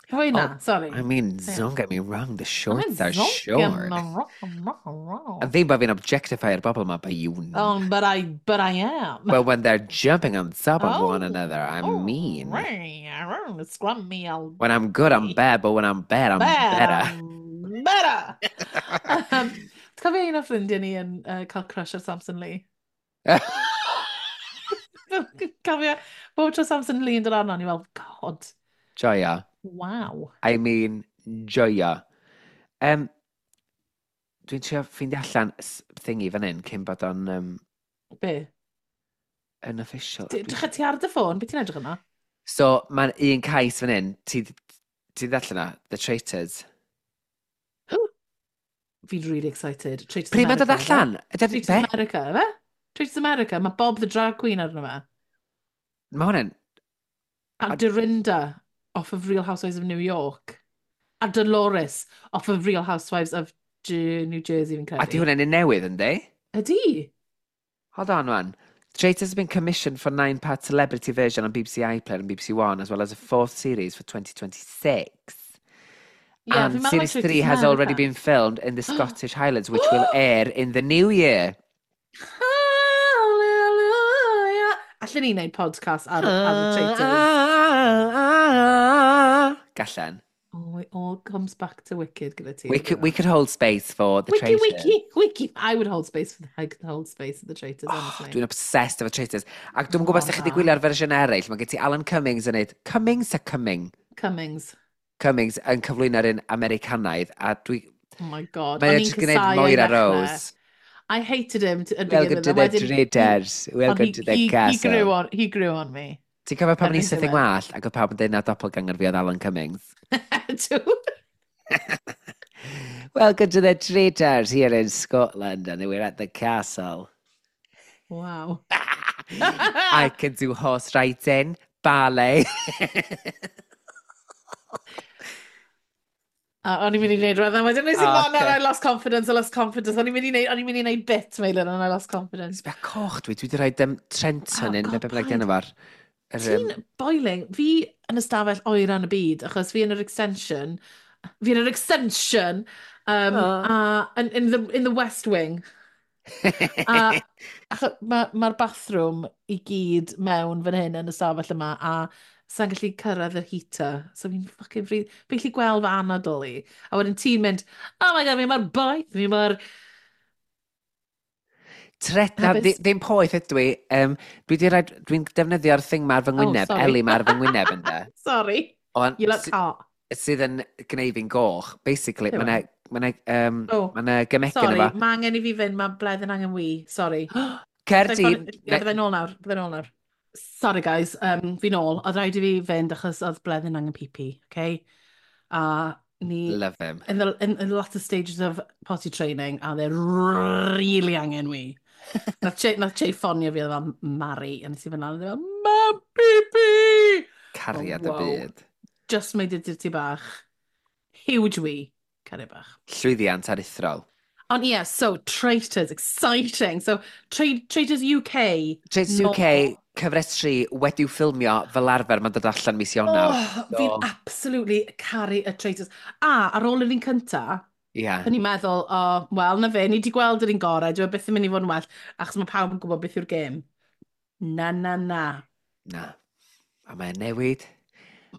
Pwy na, Oh, sorry. I mean, don't get me wrong, the shorts are short. A ddim bod fi'n objectify-o'r bobl yma, but you know. Oh, but I am. But when they're jumping on top of one Oh, another, I oh, mean. Scrum me, I'll When I'm good, I'm bad, but when I'm bad, I'm better. I'm better. Ti'n cofio un o ffrindiau ni yn cael crush ar Samson Lee? Cofio, bob tro Samson Lee yn dod arno, ni fel, "God, Joio. wow." I mean, joio. Dwi'n trio ffeindio allan thingy fan hyn cyn bod o'n Be? yn official. Drych ti ar dy ffôn, beth ti'n edrych yna? So, mae'n un cais fan hyn. Ti ddarllen o? The Traitors. Fi'n really excited. Traitors Pryd mae'n dod America, ife? allan? Traitors Be? America, ife? Traitors America, mae Bob the Drag Queen arno fe. Mae hwnna'n... A Dorinda off of Real Housewives of New York. A Dolores off of Real Housewives of New Jersey, fi'n credu. A di hwnna'n un newydd, yndi? Ydy? Hold on, one. Traitors has been commissioned for nine-part celebrity version on BBC iPlayer and BBC One, as well as a fourth series for 2026. Yeah, And fi'n meddwl series Traitors 3 has already America. been filmed in the Scottish Highlands, which will air in the new year. Hallelujah! Allen ni wneud podcast ar y Traitors. Gallen. Oh, it all comes back to Wicked gyda ti. We could hold space for the Wiki, Traitors. wiki, wiki. I could hold space for the Traitors, Oh, honestly. dwi'n obsessed efo Traitors. Ac dwi'n gwybod os ydych chi wedi Mor dda. gwylio'r fersiwn eraill. Mae gen ti Alan Cummings yn neud... Cummings a Cumming? Cummings. Cummings yn cyflwyno'r un Americanaidd. A dwi... Oh my God. Mae O'n e i'n jyst gwneud casáu o'i Moira ddechrau. Rose. I hated him at the "Welcome beginning. to the Traitors. Welcome he, to the he, he castle." grew on, he grew on me. Ti'n cofio pan o'n i Erbyn syth yng diwedd. ngwallt ac oedd pawb yn dweud na doppelganger fi oedd Alan Cummings? Dw. "Welcome to the Traitors here in Scotland and we're at the castle." Wow. "I can do horse riding, ballet." A o'n i'n mynd i wneud rhywbeth, a wedyn nes i Oh, oh, no, okay. I lost confidence, I lost confidence. O'n i'n mynd i wneud bit, Meilir, and I lost confidence. Sbia coch dwi, dwi wedi rhoi Trenton Oh, yn, God, neu be bynnag paid. di enw fo'r. Ti'n boiling. Fi yn ystafell oer yn y byd, achos fi yn yr extension, fi yn yr extension, Oh. a in the West Wing. A mae'r ma bathroom i gyd mewn fan hyn yn y stafell yma, a sa'n gallu cyrraedd yr heater. So fi'n fucking free. Fi'n gallu gweld fy anadl i. A wedyn ti'n mynd, "Oh my God, fi mor boeth, fi mor..." Tret, na, Hefyd- ddim poeth ydw i. Dwi'n defnyddio'r thing ma ar fy ngwyneb, Oh, sorry. Eli ma ar fy ngwyneb ynddo. Sorry. On, You look hot. Sydd yn gwneud fi'n goch. Basically, Yw e? mae Oh, ma 'na gemegyn Sorry, efo. mae angen i fi fynd, mae Bleddyn angen wee. Sorry. Cer di. Ie, byddai nôl nawr, byddai nôl nawr. Sorry guys, fi nôl. Oedd rhaid i fi fynd achos oedd Bleddyn angen pipi, okay? A ni, Love him. in the latter stages of potty training, a they're really angen wee. Nath Che ffonio fi, oedd fel, "Mari," a nes i fynd lan, a fel, "Mam, pipi!" Cariad Oh, y wow. byd. Just made it ti bach. Huge wee. Cariad bach. Llwyddiant aruthrol. Ond ie, yeah, so Traitors, exciting. So Traitors UK. Traitors UK, cyfres 3, wedi'w ffilmio fel arfer, mae'n dod allan mis Ionawr. Oh, so fi'n absolutely caru y Traitors. A ar ôl yr un cynta, o'n i'n meddwl, oh, wel, na fe, ni wedi gweld yr un gorau, dwi e byth yn mynd i fod yn well, achos mae pawb yn gwybod beth yw'r gêm. Na, na, na. Na. A mae'n newid.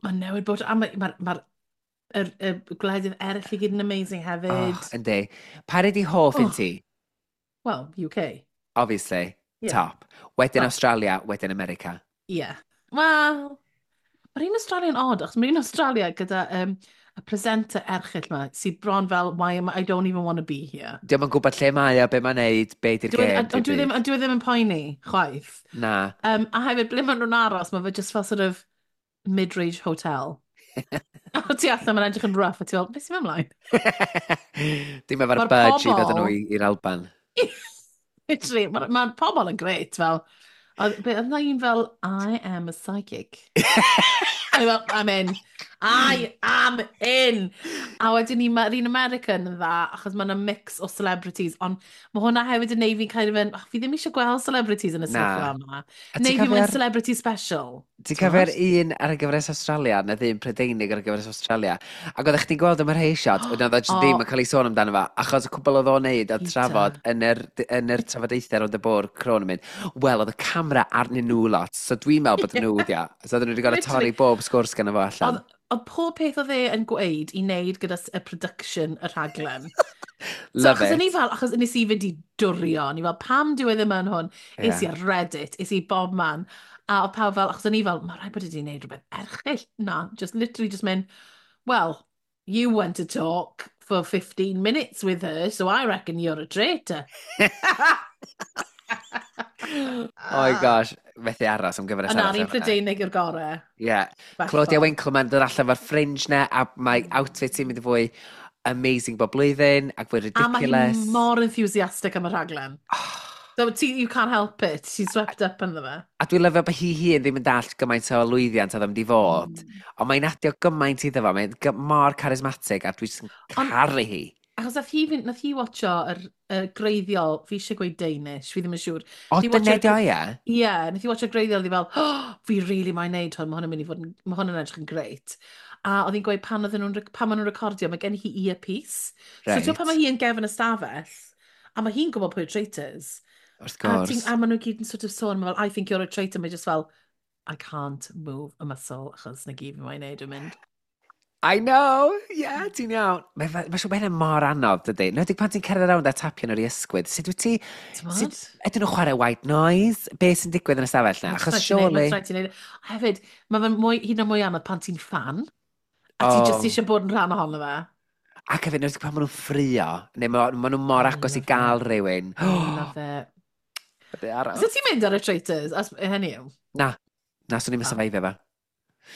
Mae'n newid bod, a mae'r ma, ma y gwledydd eraill i gyd yn amazing hefyd. Oh, yndi. Pa ydi hoff un ti? Well, UK. Obviously. Yeah. Top. Wedyn top. Australia, wedyn America. Yeah. Wel, mae'r un Australia'n odd, achos mae'r un Australia gyda y presenter erchyll ma, sydd bron fel, why am I, I don't even want to be here. Diolch yn gwybod lle mae o, be mae'n neud, be di'r gêm. Ond dwi ddim yn poeni, chwaith. Na. A hefyd, ble maen nhw'n aros, mae fe just fel sort of mid-range hotel. A ti allan, mae'n edrych yn rough, a ti fel, beth sy'n mynd ymlaen? Dim efo'r budge i ddod nhw i'r Alban. Literally, mae'r ma pobl yn grêt, fel, oedd yna un fel, "I am a psychic." A fel, "I'm in. I am in." A wedyn ni, mae'r un American yn dda, achos mae'n a mix o celebrities, ond mae hwnna hefyd yn neud fi'n kind of yn, oh, fi ddim eisiau gweld celebrities yn y sefyllfa yma. Neu fi moyn celebrity special. Ti'n cofio'r un ar y gyfres Australia, neu ddim Prydeinig ar y gyfres Australia, ac oeddech chdi'n gweld am yr rhai shot, wedyn oedd o jyst ddim yn cael ei sôn amdano fo, achos y cwbl oedd o'n neud oedd trafod yn yr trafodaethau rownd y bwrdd crôn yn mynd, wel, oedd y camera arnyn nhw lot, so dwi'n meddwl bod nhw, dia. So oedden nhw wedi gorfod torri bob sgwrs gan fo allan. Oedd pob peth oedd e yn gweud i wneud gyda y production y rhaglen. So, love achos it. O'n i fel, achos nes i fynd i dwrio, o'n i fel, pam dyw e ddim yn hwn? Es i ar Reddit, es i bob man. A oedd pawb fel, achos o'n i fel, mae rhaid bod wedi gwneud rhywbeth erchyll. Na, just literally just mynd, "Well, you went to talk for 15 minutes with her, so I reckon you're a traitor." Oh my gosh, methu aros am gyfres Ond na'r un Prydeinig yw'r gorau. Ie. Yeah. Claudia Winkleman dod allan fo'r fringe na, a mae outfit hi'n mynd i fwy amazing bob blwyddyn, ac fwy A mae ridiculous. hi mor enthusiastic am y rhaglen. So ti, you can't help it. She's swept up ynddo fe. A dwi'n lyfio bod hi hun ddim yn dallt gymaint o lwyddiant oedd yn mynd i fod. Ond mae'n adio gymaint iddo fo, mae'n mor charismatic a dwi'n caru hi. Achos nath hi watcho yr greiddiol, fi eisiau gweud Danish, fi ddim yn siŵr. O, Nath hi dyna watcho'r di o, ie? Ie, yeah, nath hi watcho'r greiddiol, oedd hi fel, "Oh, fi really moyn neud hwn, mae hwn yn mynd i fod yn, mae hwn yn edrych yn grêt." A oedd hi'n gweud pan maen nhw'n recordio, mae gen hi earpiece. So ti'n pan mae hi yn gefn y stafell, a mae hi'n gwybod pwy yw'r traitors. Wrth A, gwrs. a maen nhw gyd yn sort of sôn, mae fel, "I think you're a traitor," mae just fel, "I can't move a muscle, achos na gyd fi moyn neud yn mynd." I know, ie, yeah, ti'n iawn. Mae ma siŵr bod hynny mor anodd, dydy. Nid pan ti'n cerdded rownd a tapio nhw'r i ysgwydd. Sut wyt ti? T'mod? Ydyn nhw'n chwarae white noise? Be sy'n digwydd yn y stafell na? Achos surely Mae'n rhaid ti neud. Hefyd, mae fe'n mwy, hyd yn oed mwy anodd pan ti'n fan. A ti just eisiau bod yn rhan ohono fe. Ac hefyd, nid pan maen nhw'n ffrio, neu ma nhw mor I agos i love gael rhywun. I love it. Be arall? So ti'n mynd ar y Traitors? As, hynny yw. Na, na, swn i'n Ah. survivio fe.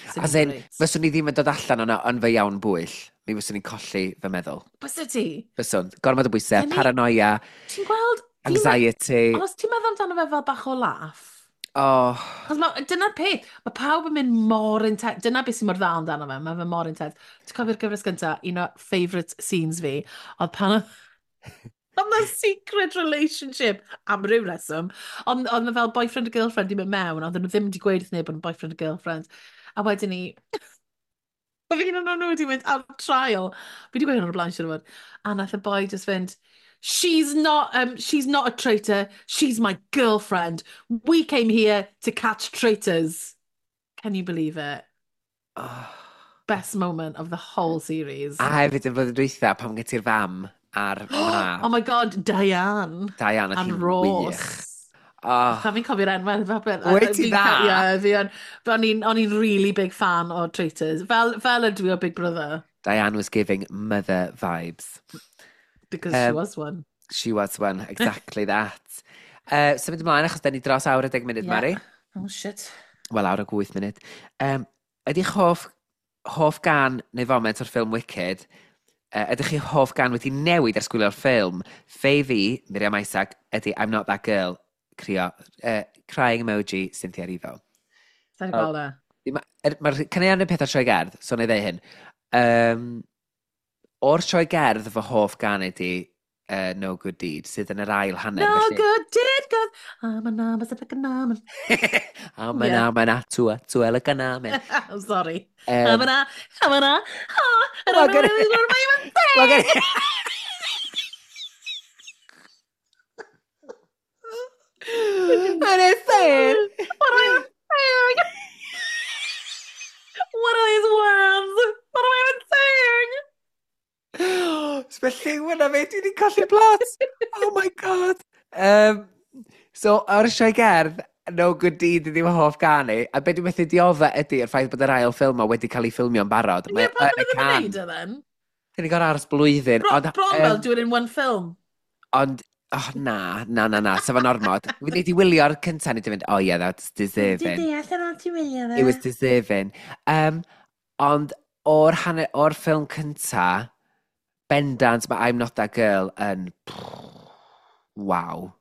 Swn As i'n in, grêt. fyswn i ddim yn dod allan o'na yn fy iawn bwyll. Mi fyswn i'n colli fy meddwl. Bysa ti? Fyswn. Gormod o bwysau, paranoia, Ti'n gweld anxiety. Ond os ti'n meddwl amdano fe fel bach o laff, Oh, achos dyna'r peth, mae pawb yn mynd mor intense, dyna beth sy'n mor dda amdano fe, mae fe mor intense. Ti'n cofio'r gyfres gyntaf, un o favourite scenes fi, oedd pan oedd na secret relationship am ryw reswm, ond oedd fel boyfriend a girlfriend i mynd mewn, ond nhw ddim wedi gweud wrth neb bod yn boyfriend a girlfriend. A wedyn ni, oedd un o'n nhw wedi mynd ar trial. Fi wedi gweud hwn o'r blaen, siŵr o fod. A nath y boi just fynd, She's not a traitor, she's my girlfriend. We came here to catch traitors." Can you believe it? Oh. Best moment of the whole series. A hefyd yn flwyddyn dwytha, pam gen ti'r fam a'r mab. Oh my God, Diane. Diane, oedd And hi'n Ross. wych. Oh, Pan fi'n cofio'r enw, fel beth. Wyt ti dda? Ie, fi yn. O'n i'n really big fan o Traitors. Fel ydw i o Big Brother. Diane was giving mother vibes. Because she was one. She was one, exactly that. Symud ymlaen, achos da ni dros awr a 10 munud, Mari. Oh, shit. Wel, awr ag 8 munud. Ydy'ch hoff gan neu foment o'r ffilm Wicked, ydych chi hoff gan wedi newid ers gwylio'r ffilm? Fave fi, Miriam Isaac, ydy "I'm Not That Girl", crio, crying emoji, Cynthia Erivo. Sa'n gweld e. Mae'r caneuon yn peth o'r sioe gerdd, so na i ddeud hyn. O'r sioe gerdd, fy hoff gan ydi No Good Deed, sydd yn yr ail hanner. No felly... good deed goes... I'm an I'm a I'm I'm an I'm an atu atu elaganamen. I'm sorry. I'm an I'm an I don't know what I'm even saying. And it's saying. What am I even saying? What are these words? What am I even saying? Felly, hwnna fe, dwi wedi colli plot. Oh my God. So, o'r sioe gerdd, No Good Deed ydi fy hoff ganu, a be dwi'n methu diodda ydy yr ffaith bod yr ail ffilm ma wedi cael ei ffilmio'n barod. Ie, pam ddim yn gwneud e then? Dyn ni gorau aros blwyddyn. Bron fel do it in one film. Ond, oh na, na, na, na, sef yn ormod. Fi wedi wylio'r cyntaf, ni wedi mynd, oh yeah, that's deserving. Dwi'n deall ar ôl ti wylio fe. It was deserving. Ond o'r, hanner, o'r ffilm cynta, bendant, mae I'm Not That Girl yn... Wow.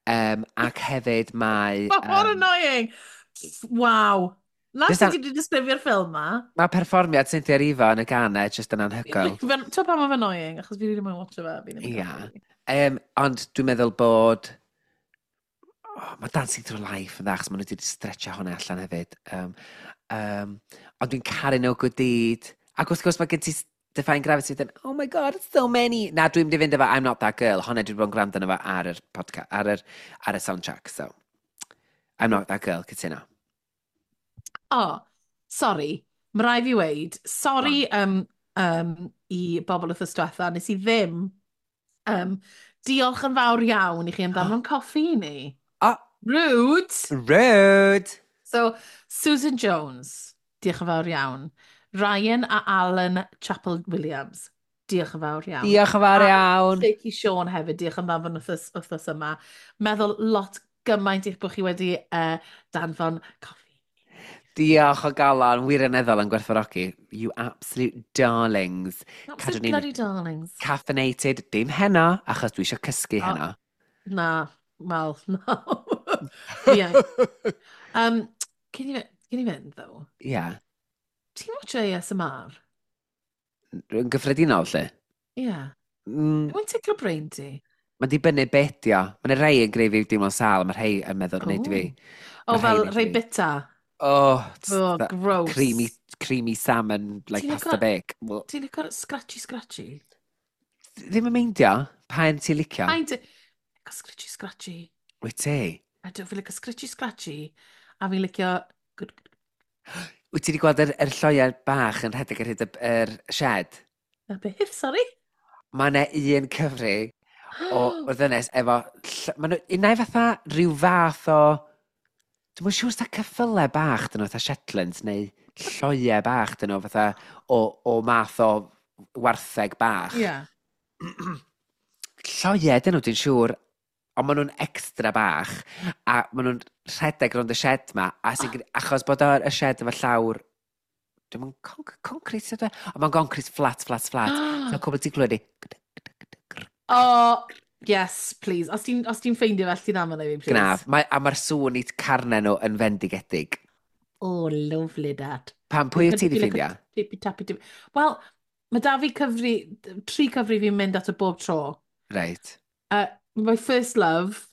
Ac hefyd mae... What annoying! Wow. Na sut ti wedi disgrifio'r ffilm ma? Mae perfformiad Cynthia Erivo yn y ganau jyst yn anhygoel. Ti'n pam mae'n annoying? Achos fi rili moyn watcho fe. Ia. Ond dwi'n meddwl bod... Oh, mae Dancing Through Life yn dda, achos maen nhw wedi stretcho hwnna allan hefyd. Ond dwi'n caru No Good Deed. Ac wrth gwrs mae gen ti Defying Gravity yn, oh my God, it's so many. Na, dwi'n mynd i fynd efo I'm Not That Girl. Honna dwi wedi bod yn gwrando arno fo ar yr podcast, ar y soundtrack, so. I'm Not That Girl, cytuno. Oh, sorry. Mae rai fi weid, sorry i bobl wythnos diwetha, nes i ddim. Diolch yn fawr iawn i chi am danfon coffi i ni. Oh. Rude! Rude! So, Susan Jones, diolch yn fawr iawn. Ryan a Alan Chapel Williams, diolch yn fawr iawn. Diolch yn fawr iawn. Lleucu Siôn hefyd, diolch yn fawr wythnos yma. Meddwl lot gymaint eich bod chi wedi danfon coffi. Diolch o galon, wirioneddol yn gwerthfawrogi. You absolute darlings. Absolute bloody darlings. Caffeinated, dim heno, achos dwi eisiau cysgu heno. Na, wel, no. Yeah. Cyn i fynd, ddo? Ie. Yeah. Ti'n watch ASMR? Yn gyffredinol, lle? Ie. Yeah. Mae'n tickle brain ti? Mae'n dibynnu beth di o. Mae'n rhai yn greu fi deimlo'n sâl, a mae rhai yn meddwl, wneud fi. O, fel rhai bita? Oh, gross. Creamy salmon, like pasta bake. Ti'n licio'r scratchy scratchy? Ddim yn meindio. Pa un ti'n licio? Pa'n ti... Licio scratchy scratchy. Wyt ti? A dwi'n licio scratchy scratchy, a fi'n licio... Wyt ti wedi gweld yr lloiau bach yn rhedeg ar hyd yr shed? Na beth, sorry? Mae yna un cyfri o ddynes efo... Mae nhw unai fatha rhyw fath o... Dwi'n siŵr sa ceffylau bach dyn nhw, fatha Shetlands neu lloiau bach dyn nhw, fatha o math o wartheg bach. Ie. Yeah. Lloiau dyn nhw, dwi'n siŵr, ond maen nhw'n extra bach, a maen nhw'n rhedeg rownd y shed ma, a achos bod o'r y shed efo llawr, dwi'n mynd concrete ydw e? Ond mae'n concrete flat, flat, flat. So cwbl ti'n clywed i... Oh, yes, please. Os ti'n ffeindio fel ti'n aml i fi, please. Gnaf. A mae'r sŵn i carnau nhw yn fendigedig. Oh, lovely that. Pam, pwy wyt ti wedi ffeindio? Tippy tappy tippy. Wel, mae da fi cyfri, 3 cyfri fi'n mynd at y bob tro. Right. My first love,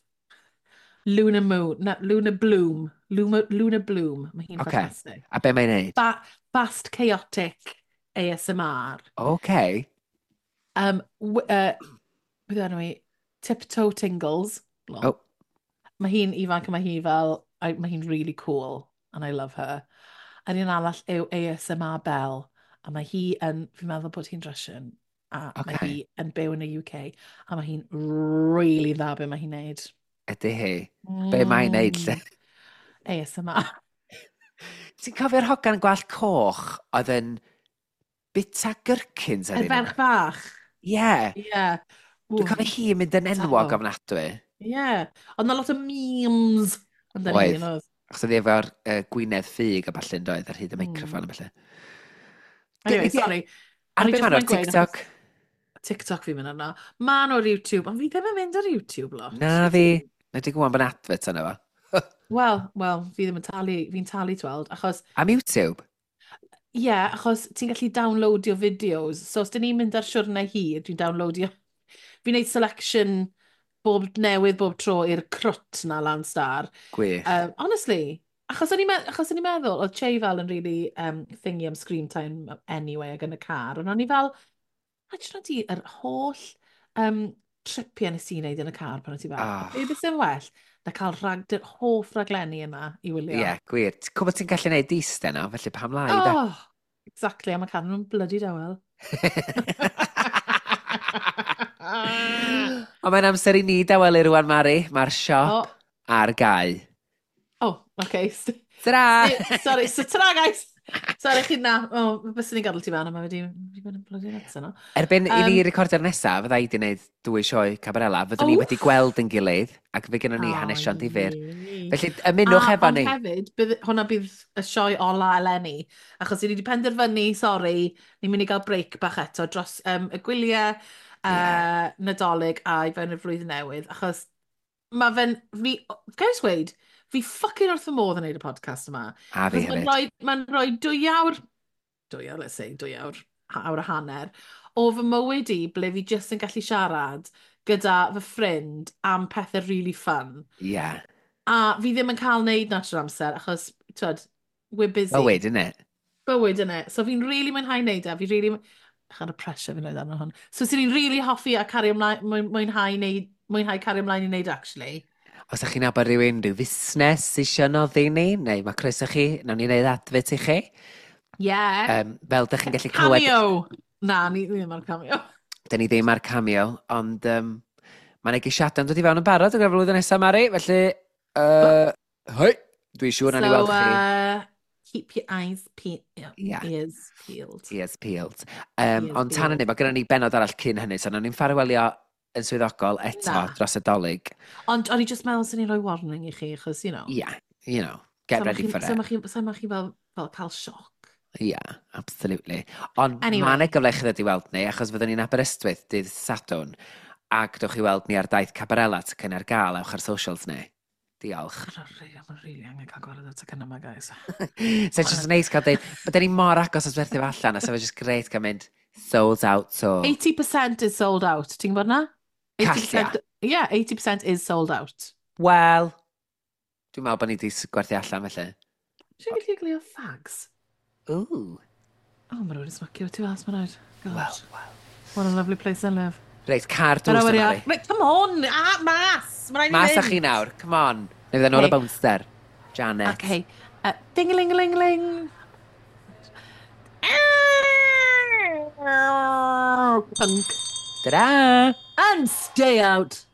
Luna Moon, na, Luna Bloom. Luna Bloom. Mae hi'n ffantastig. A be mae'n neud? Fast Chaotic ASMR. Okay. Beth enw i? Tiptoe Tingles. Oh. Mae hi'n ifanc a mae hi fel, mae hi'n really cool and I love her. A'r un arall yw ASMR Bell. A mae hi yn, fi'n meddwl bod hi'n Russian. A mae hi yn byw yn y UK. A mae hi'n really dda be mae hi'n neud. Ydy hi? Be mae'n neud lle? ASMR. Ti'n cofio'r hogan gwallt coch oedd yn bita gherkins ar un? Y ferch fach? Ie. Ie. Dwi'n cofio hi yn mynd yn enwog ofnadwy. Ie. Ond na lot o memes. Oedd. Achos oedd hi efo'r gwynedd ffug a ballu'n doedd ar hyd y microffon a ballu. Anyway, sorry. Ar be ma'n o'r TikTok? TikTok fi'n mynd arno. Ma'n o'r YouTube, ond fi ddim yn mynd ar YouTube lot. Na fi. Na ti'n gwybod bod advert yna fo. Wel, fi ddim yn talu, fi'n talu tweld, achos... Am YouTube? Ie, Ie, yeah, achos ti'n gallu downloadio videos. So os dyn ni'n mynd ar siwrne hir, dwi'n downloadio. Fi'n neud selection bob newydd bob tro i'r crwt na lan star. Gwych. Honestly, achos o'n i'n meddwl, oedd Che fel yn really thingy am screen time anyway ac yn y car, ond o'n i fel, a ti'n di, yr holl tripiau nes i wneud yn y car pan o'n ti bach. Oh. Be beth sy'n well na cael hoff raglenni yna i wylio. Ie, yeah, gwir. Ti'n gwybod ti'n gallu gwneud diste no, felly pam lai, da? Oh, exactly, a mae car nhw'n bloody dawel. Ond mae'n amser i ni dawelu rwan, Mari. Mae'r siop ar gau. Oh, okay. Ta-ra! Sorry, so ta-ra, guys! Sorry, chi na. Oh, byswn ni'n gadael ti fan, a mae wedi bod yn bloody nuts yno. Erbyn i ni recordio'r nesaf, fydda i wedi gwneud dwy sioe Cabarella, fyddwn ni wedi gweld yn gilydd, ac fe gynnon ni hanesion difyr. Felly, ymunwch efo ond ni. Hefyd, bydd, hwnna bydd y sioe ola eleni, achos ni wedi penderfynu, sorry, ni'n mynd i gael break bach eto dros y gwyliau, Nadolig a i fewn i'r flwyddyn newydd, achos mae fe'n, fi, gael gweud, fi fucking wrth fy modd yn neud y podcast yma. A fi Achos hefyd. Mae'n rhoi 2 awr, 2 awr, let's say, 2 awr, awr a hanner, o fy mywyd i ble fi jyst yn gallu siarad gyda fy ffrind am pethau really fun. A fi ddim yn cael neud na trwy'r amser, achos, twyd, we're busy. Bywyd, innit? Bywyd, innit? So fi'n really mwynhau neud e, fi really... Chan y pressure fi'n rhaid arno hwn. So sy'n ni'n really hoffi a cario ymlaen, mwynhau, neud, mwynhau cario ymlaen i neud, actually. Os ydych chi'n nabod rhywun, rhyw fusnes sy'n eisiau noddi ni, neu mae croeso chi, nawn ni wneud adfyd i chi. Yeah. Fel dych chi'n gallu clywed, Cameo! Na, ni ddim ar cameo. dyn ni ddim ar cameo, ond mae yna geisiadau'n dod i fewn yn barod ar gyfer flwyddyn nesaf, Mari, felly, hoi, dwi'n siŵr na ni So, weld chi. Keep your eyes ears peeled. Ears peeled. Ears Ond tan peeled. hynny, mae gennym ni benod arall cyn hynny, so nawn ni'n ffarwelio yn swyddogol eto Na. dros y Dolig. Ond o'n i just meddwl sy'n ni'n rhoi warning i chi, achos, you know. Yeah, get ready for So it. ma chi fel cael sioc. Yeah, absolutely. Ond Anyway. mae yna gyfle i chi ddod i weld ni, achos fyddwn ni'n Aberystwyth dydd Sadwrn, ac dewch i weld ni ar daith Cabarella tocyn ar gael, ewch ar socials ni. Diolch. Mae'n really angen cael gwared o tocyn yma, guys. So it's just neis cael deud, but ni mor agos at werthu fo allan, a so fe just great cael mynd sold out so. 80% is sold out. Ti'n gwybod na? Callia. 80%, yeah, 80% is sold out. Wel, dwi'n meddwl bod ni wedi gwerthu allan felly. Ti'n gallu glio fags? Ooh, Oh, mae rhywun yn smocio tu fas, mae'n rhaid. God. wel, wel. What a lovely place I live. Reit, car drws Yr yma. awyr. Reit, come on! Ah, mas! Mae'n rhaid i Mas â fynd. chi nawr, come on. Neu fydda nôl y Okay. bouncer. Janet. Okay. Ding-a-ling-a-ling-a-ling. Punk. Ta-da! And stay out.